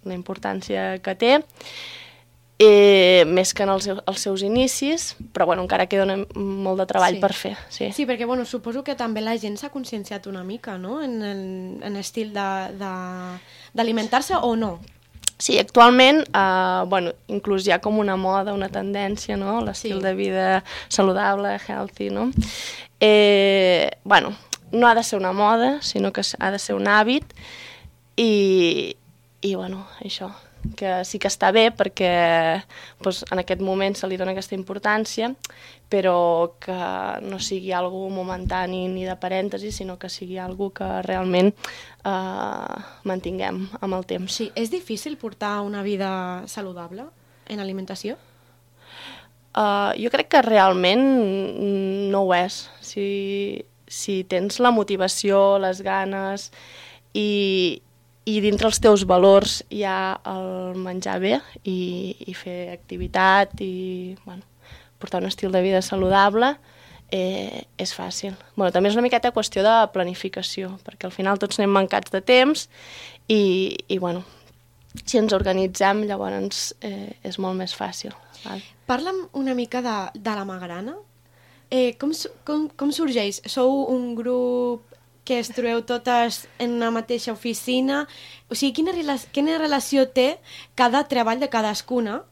S11: la importància que té, més que en els seus inicis, però encara queda molt de treball per fer. Sí,
S10: perquè suposo que també la gent s'ha conscienciat una mica, no?, en l'estil d'alimentar-se, o no?
S11: Sí, actualment inclús hi ha com una moda, una tendència, no?, l'estil de vida saludable, healthy, no? No ha de ser una moda, sinó que ha de ser un hàbit i això, que sí que està bé perquè en aquest moment se li dona aquesta importància, però que no sigui algo momentani ni de parèntesi, sinó que sigui algo que realment mantinguem amb el temps.
S10: Sí, és difícil portar una vida saludable en alimentació?
S11: Jo crec que realment no ho és. Si tens la motivació, les ganes i dintre els teus valors hi ha el menjar bé i fer activitat i portar un estil de vida saludable, és fàcil. També és una miqueta qüestió de planificació, perquè al final tots anem mancats de temps i si ens organitzem llavors és molt més fàcil.
S10: Parla'm una mica de la Magrana. Com sorgeix? Sou un grup que es trobeu totes en una mateixa oficina? O sigui, quina relació té cada treball de cadascuna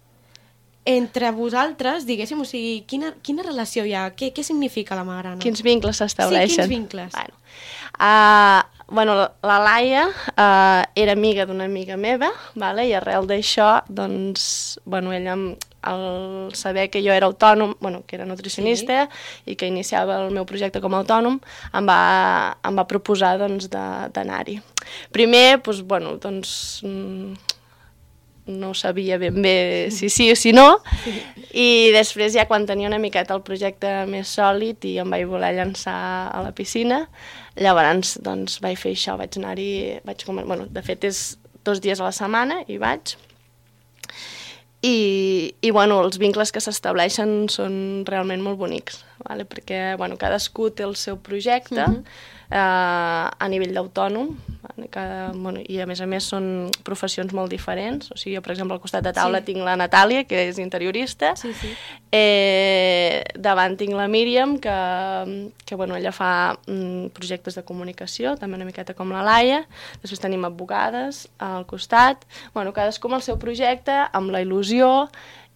S10: entre vosaltres, diguéssim? O sigui, quina relació hi ha? Què significa la Magrana?
S11: Quins vincles s'estableixen?
S10: Sí, quins vincles?
S11: La Laia era amiga d'una amiga meva, i arrel d'això, ella al saber que jo era autònom, bueno, que era nutricionista i que iniciava el meu projecte com a autònom, em va proposar doncs, d'anar-hi. Primer, doncs, bueno, doncs, no sabia ben bé si sí o si no, i després ja quan tenia una miqueta el projecte més sòlid i em vaig voler llançar a la piscina, llavors doncs, vaig fer això, vaig anar-hi, bueno, de fet és 2 dies a la setmana i vaig, i bueno, els vincles que s'estableixen són realment molt bonics, vale? Perquè bueno, cadascú té el seu projecte a nivell d'autònom, bueno, i a més són professions molt diferents. O sigui, jo, per exemple, al costat de taula tinc la Natàlia, que és interiorista, davant tinc la Míriam, que bueno, ella fa projectes de comunicació, també una miqueta com la Laia, després tenim advocades al costat, bueno, cadascú amb el seu projecte, amb la il·lusió,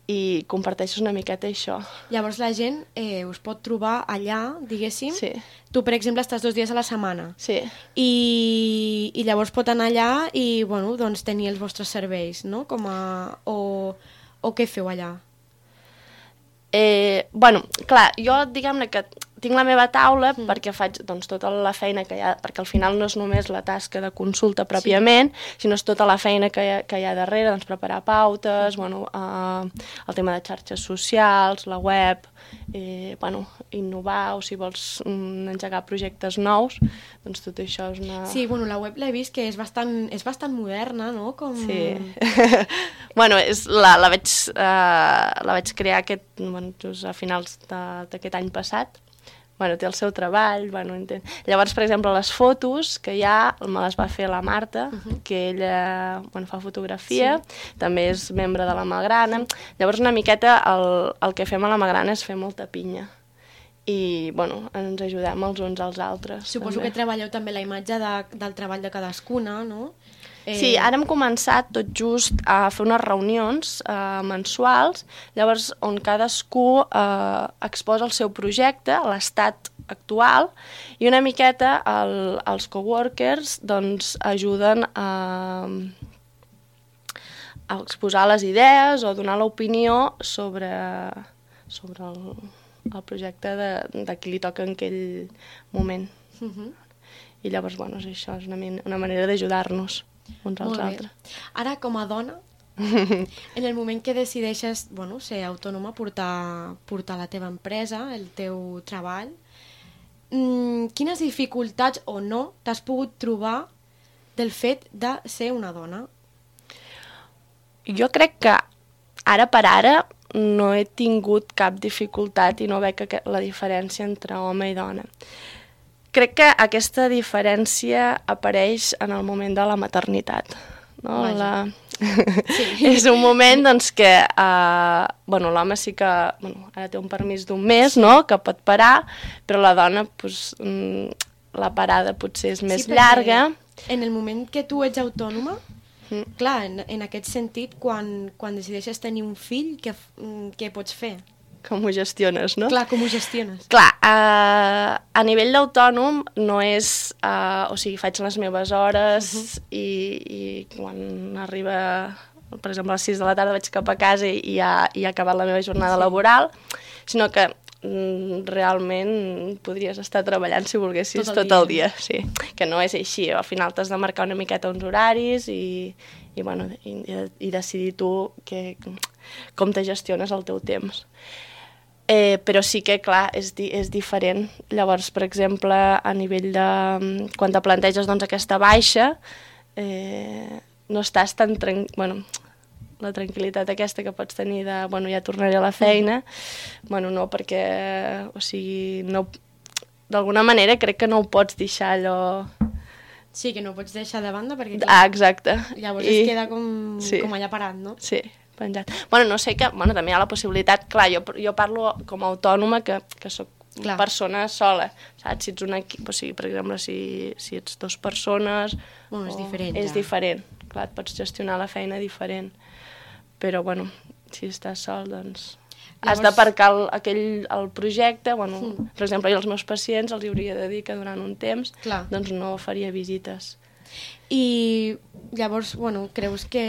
S11: i comparteixes una miqueta això.
S10: Llavors la gent us pot trobar allà, diguéssim.
S11: Sí.
S10: Tu, per exemple, estàs 2 dies a la setmana.
S11: Sí.
S10: I llavors pot anar allà i, bueno, doncs tenir els vostres serveis, no? O què feu allà?
S11: Bueno, clar, jo diguem-ne que tinc la meva taula perquè faig doncs, tota la feina que hi ha, perquè al final no és només la tasca de consulta pròpiament, sinó és tota la feina que hi ha darrere, doncs preparar pautes, bueno, el tema de xarxes socials, la web, bueno, innovar, o si vols engegar projectes nous, doncs tot això és una...
S10: Sí, bueno, la web l'he vist que és bastant moderna, no?
S11: Sí. Bueno, la vaig crear just a finals d'aquest any passat. Bueno, té el seu treball, bueno, llavors, per exemple, les fotos que hi ha, me les va fer la Marta, que ella fa fotografia, també és membre de la Malgrana. Llavors, una miqueta, el que fem a la Malgrana és fer molta pinya. I, bueno, ens ajudem els uns als altres.
S10: Suposo que treballeu també la imatge del treball de cadascuna, no?
S11: Sí, ara hem començat tot just a fer unes reunions mensuals, llavors on cadascú exposa el seu projecte, l'estat actual, i una miqueta els coworkers doncs, ajuden a exposar les idees o donar l'opinió sobre el projecte de qui li toca en aquell moment. I llavors, bueno, això és una manera d'ajudar-nos uns als altres.
S10: Ara, com a dona, en el moment que decideixes ser autònoma, portar la teva empresa, el teu treball, quines dificultats o no t'has pogut trobar del fet de ser una dona?
S11: Jo crec que ara per ara no he tingut cap dificultat i no veig la diferència entre home i dona. Crec que aquesta diferència apareix en el moment de la maternitat. No? És un moment doncs, que l'home sí que ara té un permís d'1 mes, no? Que pot parar, però la dona la parada potser és més llarga.
S10: En el moment que tu ets autònoma, clar, en aquest sentit, quan decideixes tenir un fill, què pots fer?
S11: Com ho gestiones, no?
S10: Clar, com ho gestiones.
S11: Clar, a nivell d'autònom no és... o sigui, faig les meves hores i quan arriba, per exemple, a les 6 de la tarda vaig cap a casa i ja he acabat la meva jornada laboral, sinó que realment podries estar treballant si volguessis tot el dia. Sí, que no és així. Al final t'has de marcar una miqueta uns horaris i decidir tu com te gestiones el teu temps. Però sí que, clar, és diferent. Llavors, per exemple, a nivell de... Quan te planteges aquesta baixa, no estàs tan la tranquil·litat aquesta que pots tenir de, ja tornaré a la feina, no, perquè, o sigui, d'alguna manera crec que no ho pots deixar allò...
S10: Sí, que no ho pots deixar de banda perquè...
S11: exacte.
S10: Llavors es queda com allà parat, no?
S11: Sí. Penjat. No sé que també hi ha la possibilitat, clar, jo parlo com a autònoma que soc persona sola, saps? Si ets un equip, o sigui, per exemple, si ets 2 persones...
S10: és diferent.
S11: És diferent, clar, et pots gestionar la feina diferent, però, si estàs sol, doncs... Has d'aparcar el projecte, per exemple, jo als meus pacients els hauria de dir que durant un temps doncs no faria visites.
S10: I llavors, bueno, creus que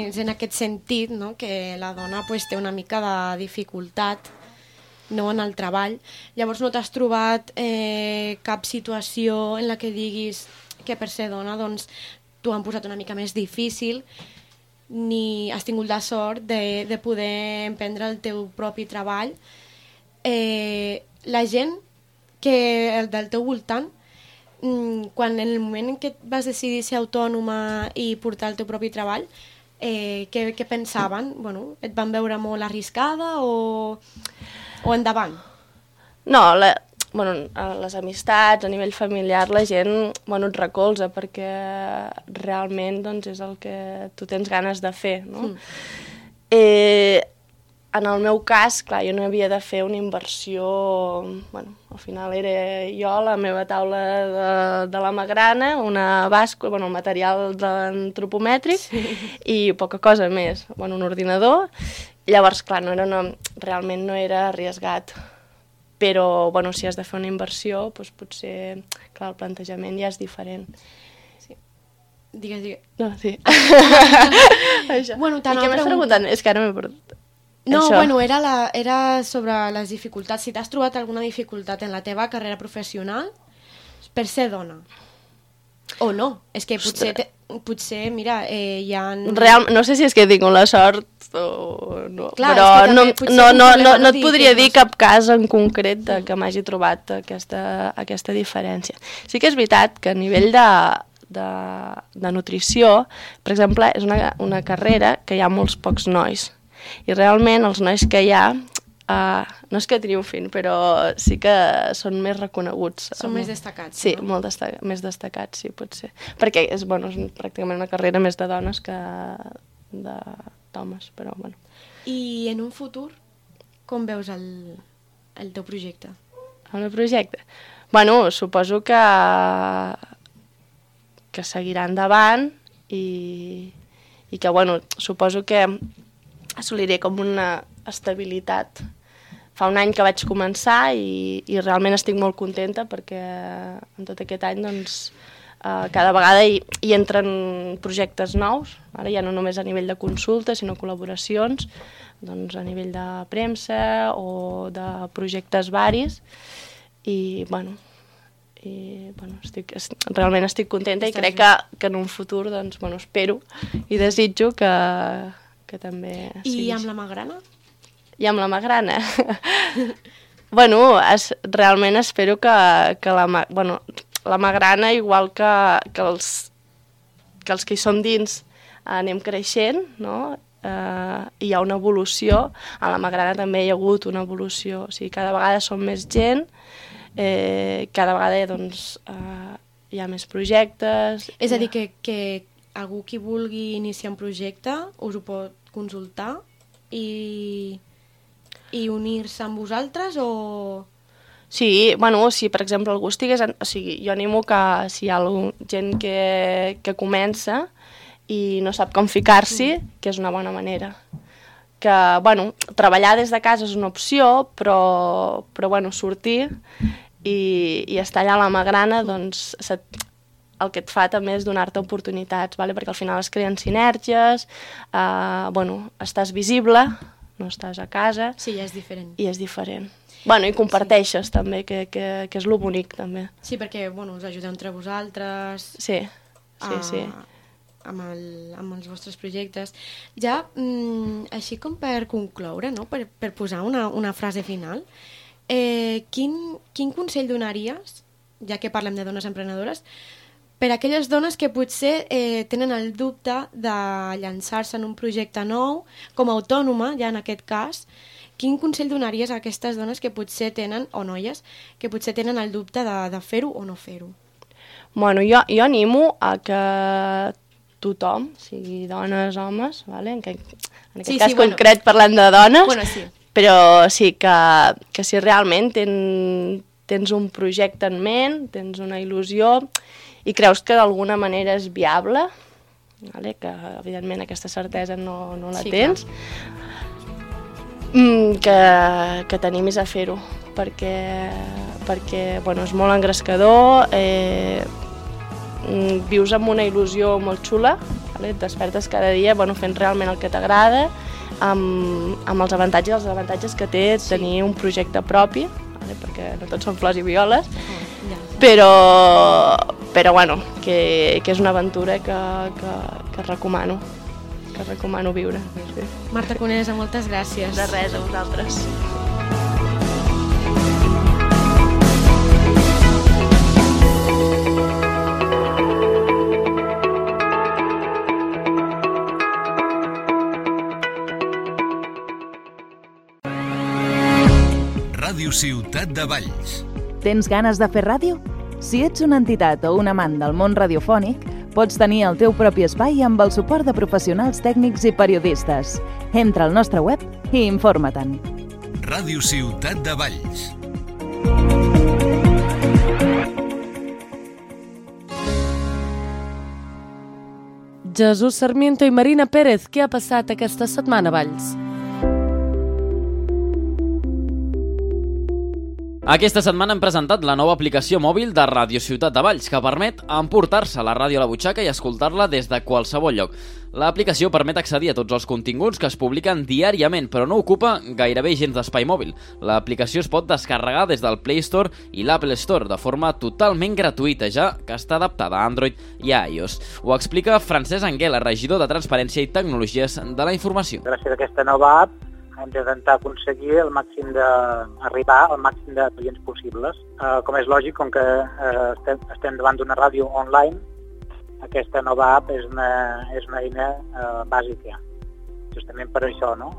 S10: és en aquest sentit, no?, que la dona pues, té una mica de dificultat, no, en el treball. Llavors no t'has trobat cap situació en la que diguis que per ser dona doncs, t'ho han posat una mica més difícil, ni has tingut la sort de poder emprendre el teu propi treball. La gent del teu voltant, quan en el moment en què vas decidir ser autònoma i portar el teu propi treball, què pensaven? Bueno, et van veure molt arriscada o endavant?
S11: No, les amistats, a nivell familiar, la gent et recolza perquè realment doncs, és el que tu tens ganes de fer. No? En el meu cas, clar, jo no havia de fer una inversió... al final era jo, la meva taula de la magrana, una bàscula, el material antropomètric i poca cosa més. Un ordinador. Llavors, clar, realment no era arriesgat. Però, si has de fer una inversió, doncs potser, clar, el plantejament ja és diferent.
S10: Sí. Digues.
S11: No, sí.
S10: Això. I
S11: què m'has preguntat? És que ara m'he perdut.
S10: No, era sobre les dificultats. Si t'has trobat alguna dificultat en la teva carrera professional per ser dona. O no. És que potser mira, hi ha...
S11: No sé si és que tinc la sort o no,
S10: clar,
S11: però no et podria dir cap cas en concret que m'hagi trobat aquesta diferència. Sí que és veritat que a nivell de nutrició, per exemple, és una carrera que hi ha molts pocs nois. I realment els nois que hi ha, no és que triomfin, però sí que són més reconeguts.
S10: Són més destacats.
S11: Sí, no? Més destacats, sí, potser. Perquè és pràcticament una carrera més de dones que d'homes, però bueno.
S10: I en un futur, com veus el teu projecte?
S11: El meu projecte? Suposo que seguirà endavant i que, suposo que assoliré com una estabilitat. Fa un any que vaig començar i realment estic molt contenta perquè en tot aquest any cada vegada hi entren projectes nous, ara ja no només a nivell de consulta sinó col·laboracions a nivell de premsa o de projectes varis i realment estic contenta i crec que en un futur espero i desitjo que també sigui.
S10: I amb la magrana?
S11: I amb la magrana? Realment espero que la magrana, igual que els que hi som dins, anem creixent, no? Hi ha una evolució. A la magrana també hi ha hagut una evolució. O sigui, cada vegada som més gent, cada vegada hi ha més projectes...
S10: És a dir, que algú qui vulgui iniciar un projecte us ho pot consultar i unir-se amb vosaltres o...
S11: Sí, si per exemple algú estigués... O sigui, jo animo que si hi ha gent que comença i no sap com ficar-s'hi, que és una bona manera. Que, treballar des de casa és una opció, però sortir i estar allà a la magrana, el que et fa també és donar-te oportunitats, perquè al final es creen sinergies, estàs visible, no estàs a casa...
S10: Sí, ja és diferent.
S11: I és diferent. I comparteixes també, que és lo bonic també.
S10: Sí, perquè us ajudeu entre vosaltres...
S11: Sí.
S10: Amb els vostres projectes. Ja, així com per concloure, no? per posar una frase final, quin consell donaries, ja que parlem de dones emprenedores, per a aquelles dones que potser tenen el dubte de llançar-se en un projecte nou, com a autònoma, ja en aquest cas, quin consell donaries a aquestes dones que potser tenen, o noies, que potser tenen el dubte de fer-ho o no fer-ho?
S11: Jo animo a que tothom, sigui dones, homes, en aquest cas concret parlant de dones, però sí que si realment tens un projecte en ment, tens una il·lusió i creus que d'alguna manera és viable, que evidentment aquesta certesa no la tens, que t'animis a fer-ho, perquè és molt engrescador, vius amb una il·lusió molt xula, vale? Et despertes cada dia fent realment el que t'agrada, amb els avantatges i els desavantatges que té tenir un projecte propi, vale? Perquè no tots són flors i violes, però que és una aventura que recomano viure. Sí.
S10: Marta Conesa, moltes gràcies.
S11: De res, a vosaltres.
S1: Ràdio Ciutat de Valls.
S12: Tens ganes de fer ràdio? Si ets una entitat o un amant del món radiofònic, pots tenir el teu propi espai amb el suport de professionals tècnics i periodistes. Entra al nostre web i informa-te'n.
S1: Ràdio Ciutat de Valls.
S2: Jesús Sarmiento i Marina Pérez, què ha passat aquesta setmana a Valls?
S13: Aquesta setmana hem presentat la nova aplicació mòbil de Ràdio Ciutat de Valls, que permet emportar-se la ràdio a la butxaca i escoltar-la des de qualsevol lloc. L'aplicació permet accedir a tots els continguts que es publiquen diàriament, però no ocupa gairebé gens d'espai mòbil. L'aplicació es pot descarregar des del Play Store i l'Apple Store de forma totalment gratuïta, ja que està adaptada a Android i a iOS. Ho explica Francesc Anguela, regidor de Transparència i Tecnologies de la Informació.
S14: Gràcies a aquesta nova app hem d'intentar aconseguir arribar al màxim de clients possibles. Com és lògic, com que estem davant d'una ràdio online, aquesta nova app és una eina bàsica. Justament per això, no?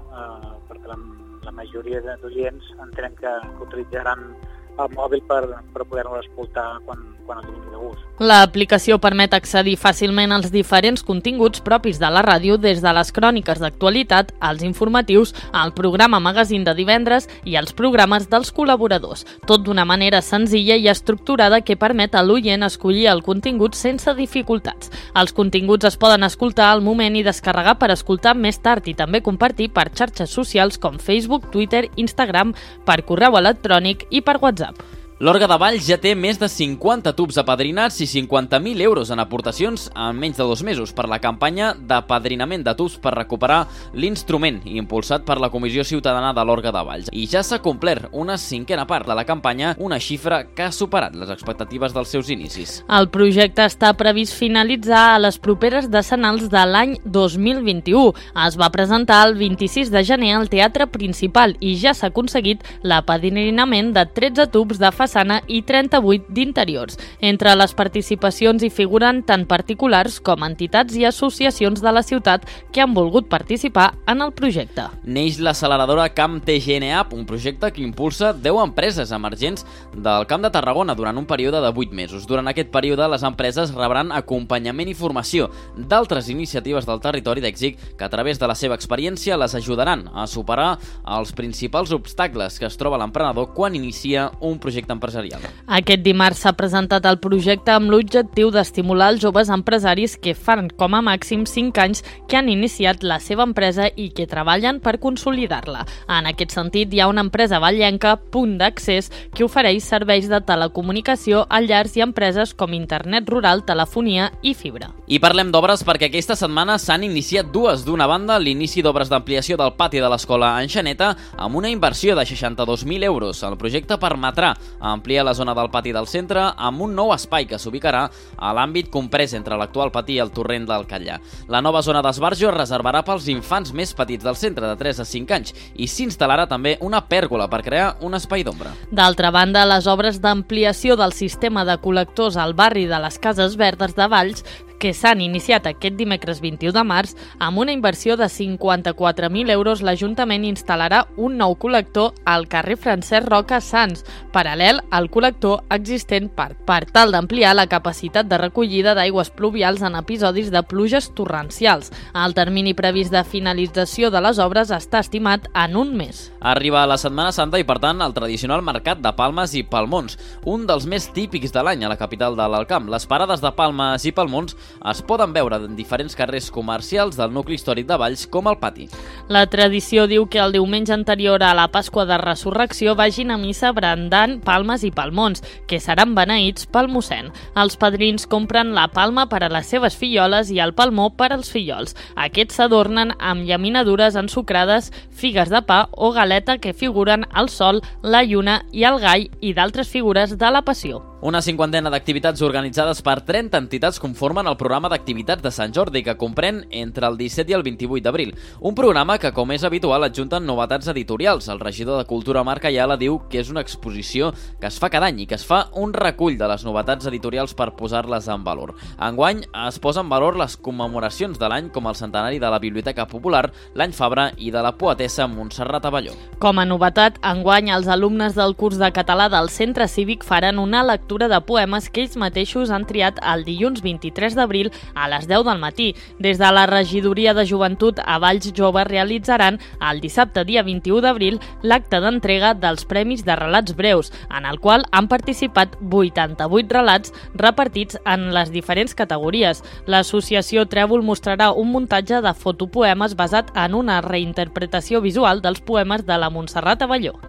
S14: Perquè la majoria d'oients entenem que utilitzaran el mòbil per poder-lo escoltar quan els vingui de gust.
S15: L'aplicació permet accedir fàcilment als diferents continguts propis de la ràdio, des de les cròniques d'actualitat, als informatius, al programa magazín de divendres i als programes dels col·laboradors. Tot d'una manera senzilla i estructurada que permet a l'oient escollir el contingut sense dificultats. Els continguts es poden escoltar al moment i descarregar per escoltar més tard i també compartir per xarxes socials com Facebook, Twitter, Instagram, per correu electrònic i per WhatsApp.
S13: L'Orga de Valls ja té més de 50 tubs apadrinats i 50.000 euros en aportacions en menys de 2 mesos per la campanya d'apadrinament de tubs per recuperar l'instrument, impulsat per la Comissió Ciutadana de l'Orga de Valls. I ja s'ha complert una 5a part de la campanya, una xifra que ha superat les expectatives dels seus inicis.
S15: El projecte està previst finalitzar a les properes decenals de l'any 2021. Es va presentar el 26 de gener al Teatre Principal i ja s'ha aconseguit l'apadrinament de 13 tubs de façana i 38 d'interiors. Entre les participacions hi figuren tant particulars com entitats i associacions de la ciutat que han volgut participar en el projecte.
S13: Neix l'acceleradora Camp TGN App, un projecte que impulsa 10 empreses emergents del Camp de Tarragona durant un període de 8 mesos. Durant aquest període, les empreses rebran acompanyament i formació d'altres iniciatives del territori d'èxit que a través de la seva experiència les ajudaran a superar els principals obstacles que es troba l'emprenedor quan inicia un projecte empresarial.
S15: Aquest dimarts s'ha presentat el projecte amb l'objectiu d'estimular els joves empresaris que fan com a màxim 5 anys que han iniciat la seva empresa i que treballen per consolidar-la. En aquest sentit, hi ha una empresa vallenca, Punt d'Accés, que ofereix serveis de telecomunicació a llars i empreses com internet rural, telefonia i fibra.
S13: I parlem d'obres perquè aquesta setmana s'han iniciat dues. D'una banda, l'inici d'obres d'ampliació del pati de l'escola Enxaneta amb una inversió de 62.000 euros. El projecte permetrà ampliar la zona del pati del centre amb un nou espai que s'ubicarà a l'àmbit comprès entre l'actual pati i el torrent del Catllà. La nova zona d'esbarjo es reservarà pels infants més petits del centre, de 3 a 5 anys, i s'instal·larà també una pèrgola per crear un espai d'ombra.
S15: D'altra banda, les obres d'ampliació del sistema de col·lectors al barri de les Cases Verdes de Valls, que s'han iniciat aquest dimecres 21 de març, amb una inversió de 54.000 euros, l'Ajuntament instal·larà un nou col·lector al carrer Francesc Roca Sans, paral·lel al col·lector existent per tal d'ampliar la capacitat de recollida d'aigües pluvials en episodis de pluges torrencials. El termini previst de finalització de les obres està estimat en un mes.
S13: Arriba la Setmana Santa i, per tant, el tradicional mercat de palmes i palmons, un dels més típics de l'any a la capital de l'Alt Camp. Les parades de palmes i palmons es poden veure en diferents carrers comercials del nucli històric de Valls, com el Pati.
S15: La tradició diu que el diumenge anterior a la Pasqua de Resurrecció vagin a missa brandant palmes i palmons, que seran beneïts pel mossèn. Els padrins compren la palma per a les seves filloles i el palmó per als fillols. Aquests s'adornen amb llaminadures ensucrades, figues de pa o galeta que figuren el sol, la lluna i el gall i d'altres figures de la Passió.
S13: Una 50ena d'activitats organitzades per 30 entitats conformen el programa d'activitats de Sant Jordi, que comprèn entre el 17 i el 28 d'abril. Un programa que, com és habitual, adjunten novetats editorials. El regidor de Cultura, Marc Ayala, diu que és una exposició que es fa cada any i que es fa un recull de les novetats editorials per posar-les en valor. Enguany es posa en valor les commemoracions de l'any, com el centenari de la Biblioteca Popular, l'any Fabra i de la poetessa Montserrat Abelló.
S15: Com a novetat, enguany els alumnes del curs de català del Centre Cívic faran una lectura de poemes que ells mateixos han triat el dilluns 23 d'abril a les 10 del matí. Des de la Regidoria de Joventut a Valls Jove realitzaran el dissabte dia 21 d'abril l'acte d'entrega dels Premis de Relats Breus, en el qual han participat 88 relats repartits en les diferents categories. L'associació Trèvol mostrarà un muntatge de fotopoemes basat en una reinterpretació visual dels poemes de la Montserrat Abelló.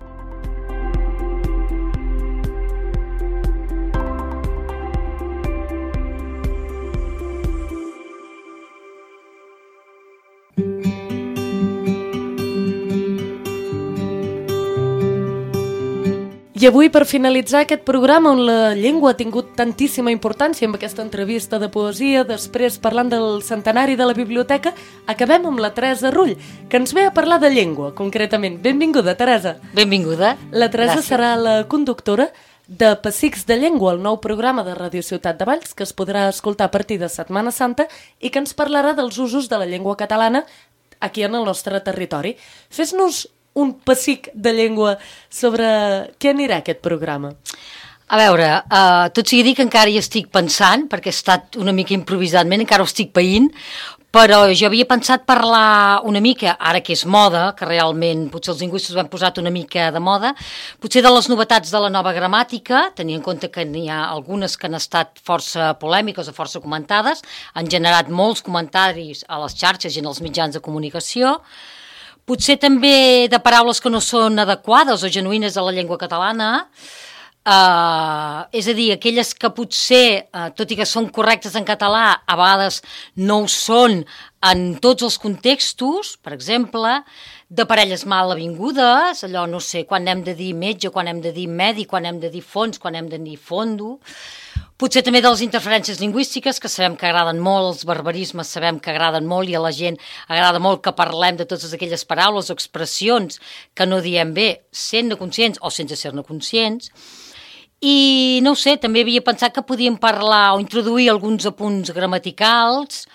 S2: I avui, per finalitzar aquest programa on la llengua ha tingut tantíssima importància amb aquesta entrevista de poesia, després parlant del centenari de la biblioteca, acabem amb la Teresa Rull, que ens ve a parlar de llengua, concretament. Benvinguda, Teresa.
S16: Benvinguda.
S2: La Teresa serà la conductora de Pessics de Llengua, el nou programa de Ràdio Ciutat de Valls, que es podrà escoltar a partir de Setmana Santa i que ens parlarà dels usos de la llengua catalana aquí en el nostre territori. Fes-nos un pessic de llengua sobre què anirà aquest programa.
S16: A veure, tot sigui dir que encara hi estic pensant, perquè he estat una mica improvisadament, encara ho estic païnt, però jo havia pensat parlar una mica, ara que és moda, que realment potser els lingüistes ho han posat una mica de moda, potser de les novetats de la nova gramàtica, tenint en compte que n'hi ha algunes que han estat força polèmiques o força comentades, han generat molts comentaris a les xarxes i en els mitjans de comunicació, potser també de paraules que no són adequades o genuïnes a la llengua catalana, és a dir, aquelles que potser, tot i que són correctes en català, a vegades no ho són en tots els contextos, per exemple, de parelles mal avingudes, allò, no sé, quan hem de dir metge, quan hem de dir mèdic, quan hem de dir fons, quan hem de dir fondo. Potser també de les interferències lingüístiques, que sabem que agraden molt, els barbarismes sabem que agraden molt i a la gent agrada molt que parlem de totes aquelles paraules o expressions que no diem bé, sent-ne conscients o sense ser-ne conscients. I no ho sé, també havia pensat que podíem parlar o introduir alguns apunts gramaticals,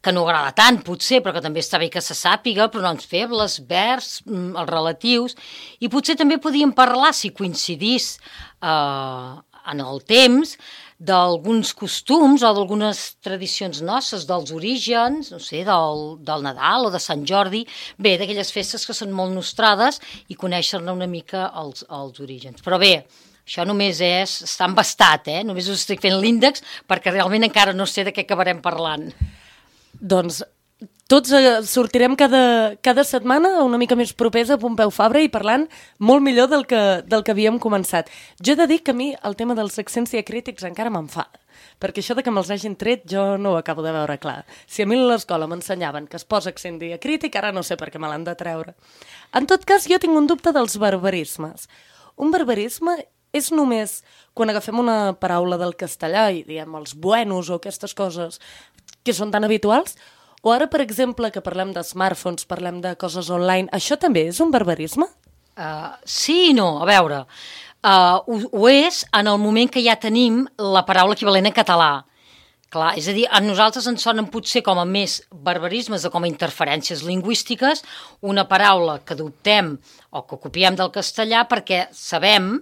S16: que no agrada tant, potser, però que també està bé que se sàpiga, pronoms febles, verbs, els relatius, i potser també podíem parlar, si coincidís en el temps, d'alguns costums o d'algunes tradicions nostres, dels orígens, no sé, del Nadal o de Sant Jordi, bé, d'aquelles festes que són molt nostrades i conèixer-ne una mica els orígens. Però bé, això només està embastat, només us estic fent l'índex perquè realment encara no sé de què acabarem parlant.
S2: Doncs tots sortirem cada setmana una mica més propers a Pompeu Fabra i parlant molt millor del que havíem començat. Jo he de dir que a mi el tema dels accents diacrítics encara m'enfada, perquè això de que me'ls hagin tret jo no ho acabo de veure clar. Si a mi a l'escola m'ensenyaven que es posa accent diacrític, ara no sé per què me l'han de treure. En tot cas, jo tinc un dubte dels barbarismes. Un barbarisme és només quan agafem una paraula del castellà i diem els buenos o aquestes coses que són tan habituals, o ara, per exemple, que parlem de smartphones, parlem de coses online, això també és un barbarisme?
S16: Sí i no, a veure, ho és en el moment que ja tenim la paraula equivalent en català. Clar, és a dir, a nosaltres ens sonen potser com a més barbarismes o com a interferències lingüístiques una paraula que adoptem o que copiem del castellà perquè sabem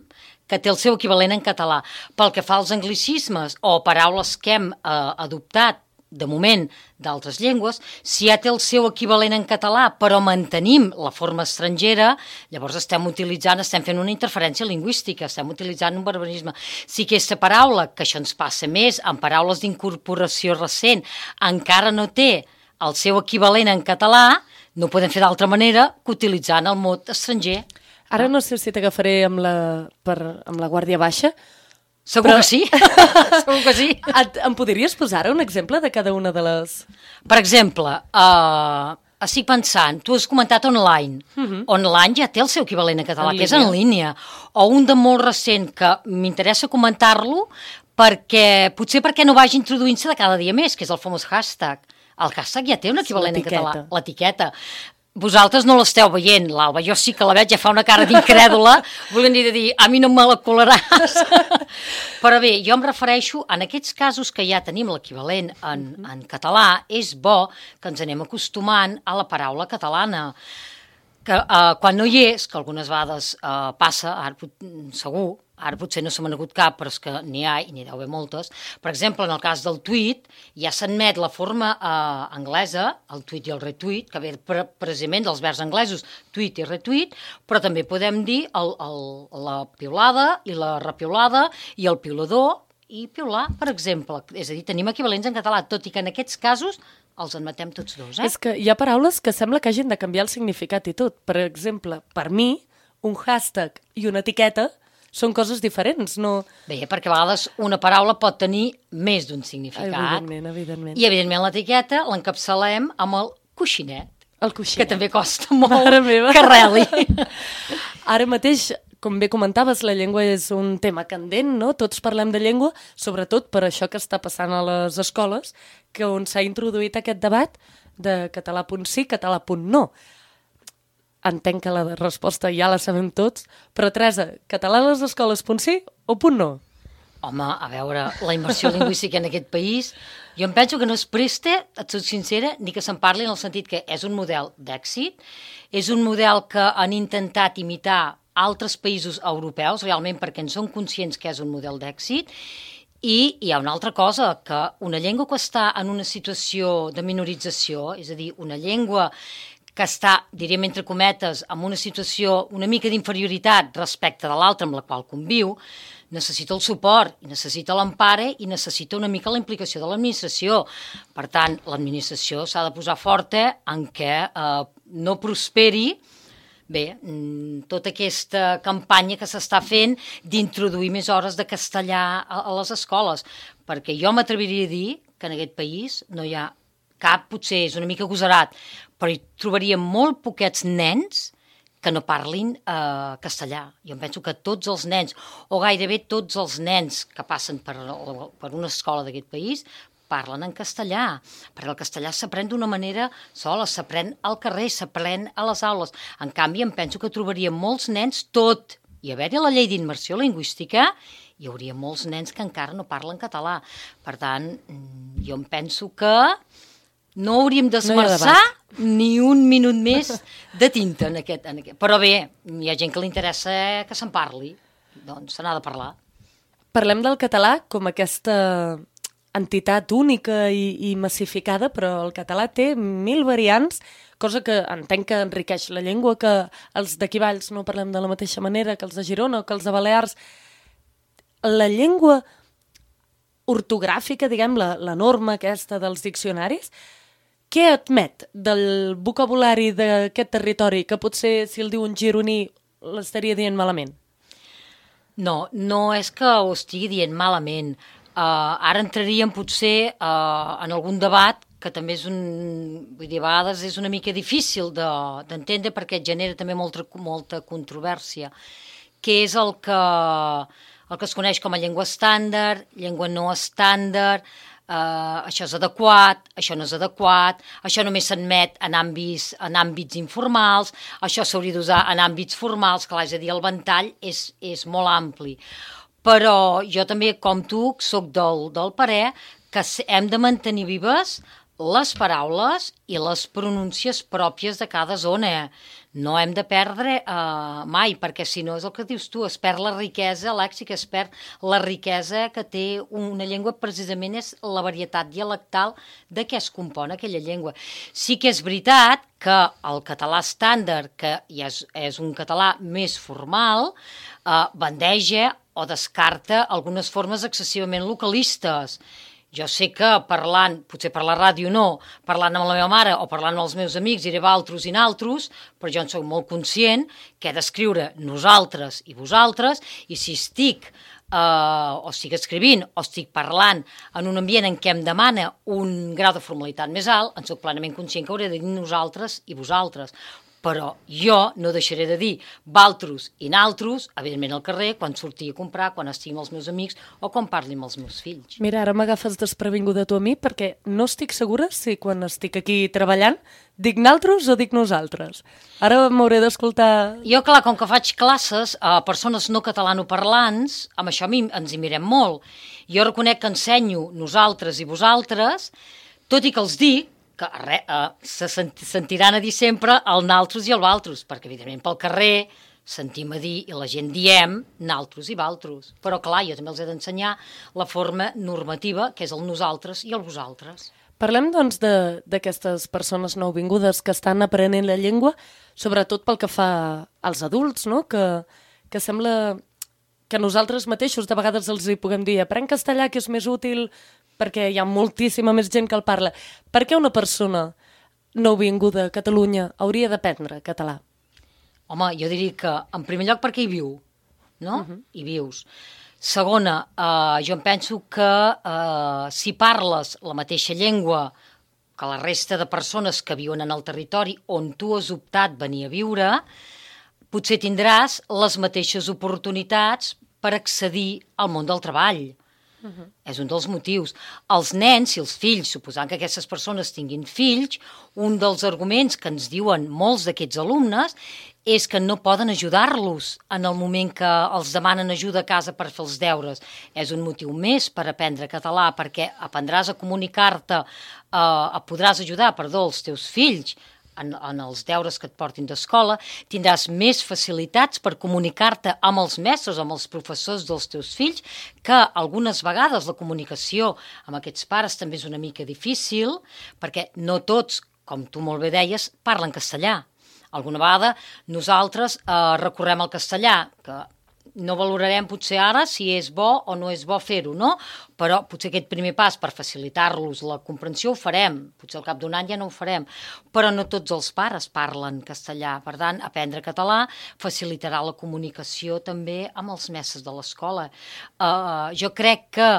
S16: que té el seu equivalent en català. Pel que fa als anglicismes o paraules que hem adoptat de moment, d'altres llengües, si ja té el seu equivalent en català, però mantenim la forma estrangera, llavors estem fent una interferència lingüística, estem utilitzant un barbarisme. Si aquesta paraula, que això ens passa més, en paraules d'incorporació recent, encara no té el seu equivalent en català, no ho podem fer d'altra manera que utilitzant el mot estranger.
S2: Ara no sé si t'agafaré amb la Guàrdia Baixa.
S16: Segur que sí. Segur que sí.
S2: Em podries posar un exemple de cada una de les...
S16: Per exemple, estic pensant, tu has comentat online. Online ja té el seu equivalent en català, que és en línia. O un de molt recent que m'interessa comentar-lo potser perquè no vagi introduint-se de cada dia més, que és el famós hashtag. El hashtag ja té un equivalent en català. L'etiqueta. Vosaltres no l'esteu veient, l'Alba, jo sí que la veig, ja fa una cara d'incrèdula, volent dir, a mi no me la colaràs. Però bé, jo em refereixo, en aquests casos que ja tenim l'equivalent en català, és bo que ens anem acostumant a la paraula catalana. Que quan no hi és, que algunes vegades passa, segur, ara potser no se m'ha agut cap, però és que n'hi ha i n'hi deu haver moltes. Per exemple, en el cas del tuit, ja s'admet la forma anglesa, el tuit i el retweet, que ve precisament dels verbs anglesos, tuit i retweet, però també podem dir la piulada i la repiulada i el piulador i piular, per exemple. És a dir, tenim equivalents en català, tot i que en aquests casos els admetem tots dos.
S2: És que hi ha paraules que sembla que hagin de canviar el significat i tot. Per exemple, per mi, un hashtag i una etiqueta són coses diferents, no...
S16: Bé, perquè a vegades una paraula pot tenir més d'un significat.
S2: Evidentment.
S16: I, evidentment, l'etiqueta l'encapçalem amb el coixinet.
S2: El coixinet.
S16: Que també costa molt que reli.
S2: Ara mateix, com bé comentaves, la llengua és un tema candent, no? Tots parlem de llengua, sobretot per això que està passant a les escoles, que on s'ha introduït aquest debat de català.sí, català.no. Entenc que la resposta ja la sabem tots, però Teresa, català a les escoles.sí o .no?
S16: Home, a veure, la immersió lingüística en aquest país, jo em penso que no es presta, et soc sincera, ni que se'n parli en el sentit que és un model d'èxit, és un model que han intentat imitar altres països europeus, realment perquè en són conscients que és un model d'èxit, i hi ha una altra cosa, que una llengua que està en una situació de minorització, és a dir, una llengua que està, diríem entre cometes, en una situació una mica d'inferioritat respecte de l'altra amb la qual conviu, necessita el suport, necessita l'empare i necessita una mica la implicació de l'administració. Per tant, l'administració s'ha de posar forta en què no prosperi tota aquesta campanya que s'està fent d'introduir més hores de castellà a les escoles, perquè jo m'atreviria a dir que en aquest país no hi ha cap, potser és una mica agosarat, però hi trobaríem molt poquets nens que no parlin castellà. Jo em penso que tots els nens, o gairebé tots els nens que passen per una escola d'aquest país, parlen en castellà, perquè el castellà s'aprèn d'una manera sola, s'aprèn al carrer, s'aprèn a les aules. En canvi, em penso que trobaríem molts nens, tot i haver-hi la llei d'immersió lingüística, hi hauria molts nens que encara no parlen català. Per tant, jo em penso que no hauríem d'esmerçar ni un minut més de tinta en aquest. Però bé, hi ha gent que li interessa que se'n parli, doncs se n'ha de parlar.
S2: Parlem del català com aquesta entitat única i massificada, però el català té 1000 variants, cosa que entenc que enriqueix la llengua, que els d'aquí Valls no parlem de la mateixa manera que els de Girona o que els de Balears. La llengua ortogràfica, diguem, la norma aquesta dels diccionaris, què admet del vocabulari d'aquest territori que potser si el diu un gironí l'estaria dient malament?
S16: No, no és que ho estigui dient malament. Ara entraríem potser en algun debat que també és vull dir, a vegades és una mica difícil d'entendre perquè genera també molta controvèrsia, que és el que es coneix com a llengua estàndard, llengua no estàndard, això és adequat, això no és adequat, això només s'admet en àmbits informals, això s'hauria d'usar en àmbits formals, clar, és a dir, el ventall és molt ampli. Però jo també, com tu, soc del parer que hem de mantenir vives les paraules i les pronúncies pròpies de cada zona. no hem de perdre mai, perquè si no és el que dius tu, es perd la riquesa lèxica, es perd la riquesa que té una llengua, precisament és la varietat dialectal de què es compon aquella llengua. Sí que és veritat que el català estàndard, que ja és un català més formal, bandeja o descarta algunes formes excessivament localistes. Jo sé que parlant, potser per la ràdio no, parlant amb la meva mare o parlant amb els meus amics diré valtros i naltros, però jo en soc molt conscient que he d'escriure nosaltres i vosaltres, i si estic o estic escrivint o estic parlant en un ambient en què em demana un grau de formalitat més alt, en soc plenament conscient que hauré de dir nosaltres i vosaltres. Però jo no deixaré de dir valtros i naltros, evidentment al carrer, quan surti a comprar, quan estigui amb els meus amics o quan parli amb els meus fills.
S2: Mira, ara m'agafes desprevinguda tu a mi perquè no estic segura si quan estic aquí treballant dic naltros o dic nosaltres. Ara m'hauré d'escoltar...
S16: Jo, clar, com que faig classes a persones no catalanoparlants, amb això ens hi mirem molt. Jo reconec que ensenyo nosaltres i vosaltres, tot i que els dic, que se sentiran a dir sempre el naltros i el valtros, perquè evidentment pel carrer sentim a dir i la gent diem naltros i valtros. Però clar, jo també els he d'ensenyar la forma normativa, que és el nosaltres i el vosaltres.
S2: Parlem, doncs, d'aquestes persones nouvingudes que estan aprenent la llengua, sobretot pel que fa als adults, no? Que sembla que nosaltres mateixos de vegades els hi puguem dir aprèn castellà, que és més útil perquè hi ha moltíssima més gent que el parla. Per què una persona nouvinguda a Catalunya hauria d'aprendre català?
S16: Home, jo diria que, en primer lloc, perquè hi viu, no? Hi vius. Segona, jo em penso que si parles la mateixa llengua que la resta de persones que viuen en el territori on tu has optat venir a viure, potser tindràs les mateixes oportunitats per accedir al món del treball. És un dels motius. Els nens i els fills, suposant que aquestes persones tinguin fills, un dels arguments que ens diuen molts d'aquests alumnes és que no poden ajudar-los en el moment que els demanen ajuda a casa per fer els deures. És un motiu més per aprendre català, perquè aprendràs a comunicar-te, podràs ajudar, els teus fills en els deures que et portin d'escola, tindràs més facilitats per comunicar-te amb els mestres, amb els professors dels teus fills, que algunes vegades la comunicació amb aquests pares també és una mica difícil, perquè no tots, com tu molt bé deies, parlen castellà. Alguna vegada nosaltres recorrem al castellà, que no valorarem potser ara si és bo o no és bo fer-ho, no? Però potser aquest primer pas per facilitar-los la comprensió ho farem, potser al cap d'un any ja no ho farem, però no tots els pares parlen castellà, per tant, aprendre català facilitarà la comunicació també amb els mestres de l'escola. Jo crec que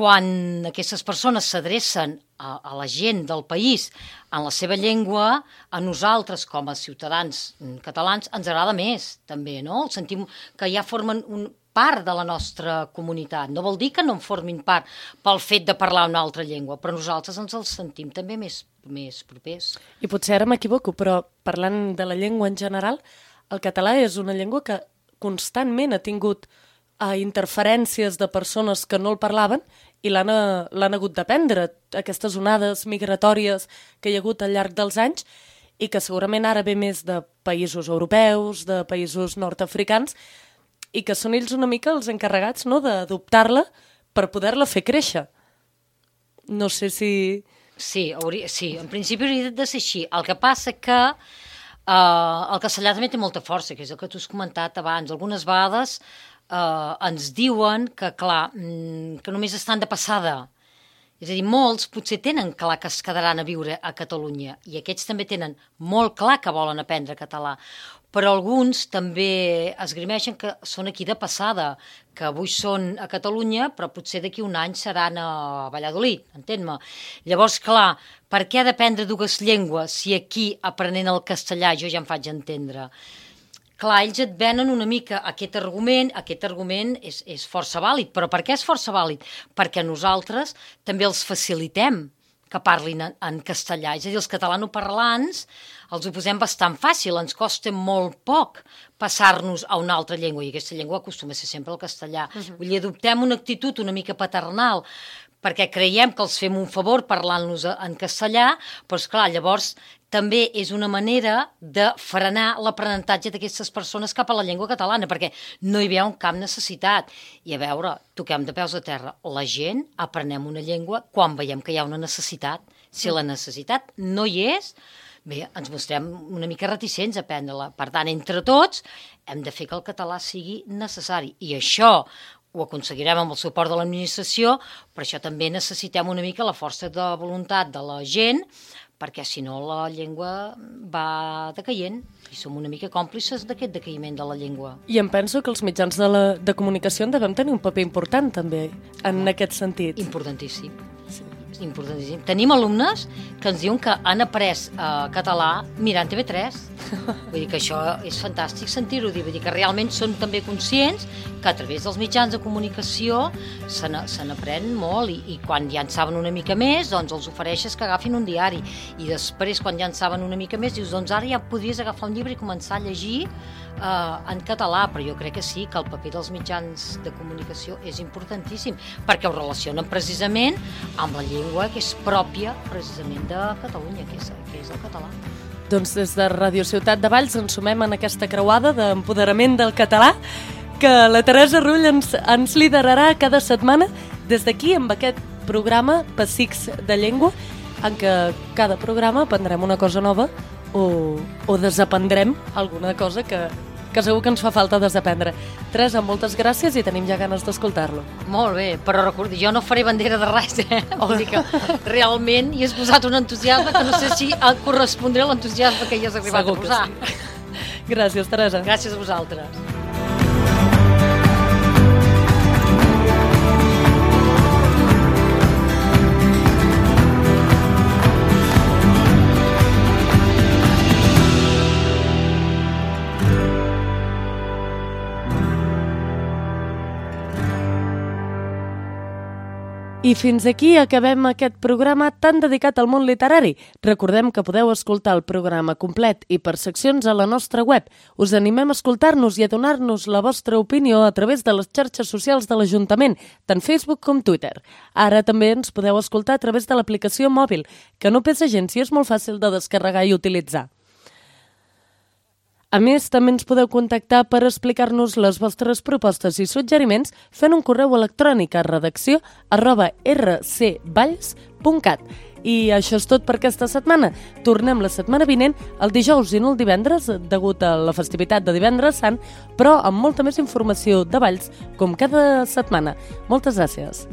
S16: quan aquestes persones s'adrecen a la gent del país en la seva llengua, a nosaltres com a ciutadans catalans ens agrada més també, no? Sentim que ja formen part de la nostra comunitat. No vol dir que no en formin part pel fet de parlar una altra llengua, però nosaltres ens els sentim també més propers.
S2: I potser ara m'equivoco, però parlant de la llengua en general, el català és una llengua que constantment ha tingut interferències de persones que no el parlaven i l'han hagut d'aprendre, aquestes onades migratòries que hi ha hagut al llarg dels anys i que segurament ara ve més de països europeus, de països nord-africans, i que són ells una mica els encarregats, no?, d'adoptar-la per poder-la fer créixer. No sé si...
S16: Sí, en principi hauria de ser així. El que passa que el castellà també té molta força, que és el que tu has comentat abans. Algunes vegades ens diuen que, clar, que només estan de passada. És a dir, molts potser tenen clar que es quedaran a viure a Catalunya i aquests també tenen molt clar que volen aprendre català, però alguns també esgrimeixen que són aquí de passada, que avui són a Catalunya però potser d'aquí un any seran a Valladolid, entén-me. Llavors, clar, per què ha d'aprendre dues llengües si aquí, aprenent el castellà, jo ja em faig entendre? Clar, ells et venen una mica aquest argument és força vàlid, però per què és força vàlid? Perquè nosaltres també els facilitem que parlin en castellà, és a dir, els catalanoparlants els ho posem bastant fàcil, ens costa molt poc passar-nos a una altra llengua, i aquesta llengua acostuma a ser sempre el castellà. Vull dir, adoptem una actitud una mica paternal, perquè creiem que els fem un favor parlant-nos en castellà, però esclar, llavors també és una manera de frenar l'aprenentatge d'aquestes persones cap a la llengua catalana, perquè no hi veu cap necessitat. I a veure, toquem de peus a terra. La gent aprenem una llengua quan veiem que hi ha una necessitat. Si la necessitat no hi és, bé, ens mostrem una mica reticents a aprendre-la. Per tant, entre tots, hem de fer que el català sigui necessari. I això ho aconseguirem amb el suport de l'administració, però això també necessitem una mica la força de voluntat de la gent, perquè si no la llengua va decaient i som una mica còmplices d'aquest decaïment de la llengua.
S2: I em penso que els mitjans de comunicació en devem tenir un paper important també en aquest sentit.
S16: Importantíssim. Importantíssim. Tenim alumnes que ens diuen que han après català mirant TV3. Vull dir que això és fantàstic sentir-ho. Vull dir que realment són també conscients que a través dels mitjans de comunicació se n'aprèn molt i quan ja en saben una mica més, doncs els ofereixes que agafin un diari i després quan ja en saben una mica més dius, doncs ara ja podries agafar un llibre i començar a llegir en català, però jo crec que sí, que el paper dels mitjans de comunicació és importantíssim, perquè ho relacionen precisament amb la llengua que és pròpia precisament de Catalunya, que és el català.
S2: Doncs des de Ràdio Ciutat de Valls ens sumem en aquesta creuada d'empoderament del català que la Teresa Rull ens liderarà cada setmana des d'aquí amb aquest programa Pessics de Llengua, en què cada programa aprendrem una cosa nova o desaprendrem alguna cosa que segur que ens fa falta desaprendre. Teresa, moltes gràcies i tenim ja ganes d'escoltar-lo.
S16: Molt bé, però recordi, jo no faré bandera de res, Vol dir que realment hi has posat un entusiasme que no sé si correspondré a l'entusiasme que hi has arribat a posar.
S2: Sí. Gràcies, Teresa.
S16: Gràcies a vosaltres.
S2: I fins aquí acabem aquest programa tan dedicat al món literari. Recordem que podeu escoltar el programa complet i per seccions a la nostra web. Us animem a escoltar-nos i a donar-nos la vostra opinió a través de les xarxes socials de l'Ajuntament, tant Facebook com Twitter. Ara també ens podeu escoltar a través de l'aplicació mòbil, que no pesa gens i és molt fàcil de descarregar i utilitzar. A més, també ens podeu contactar per explicar-nos les vostres propostes i suggeriments fent un correu electrònic a redacció@rcvalls.cat. I això és tot per aquesta setmana. Tornem la setmana vinent, el dijous i no el divendres, degut a la festivitat de Divendres Sant, però amb molta més informació de Valls, com cada setmana. Moltes gràcies.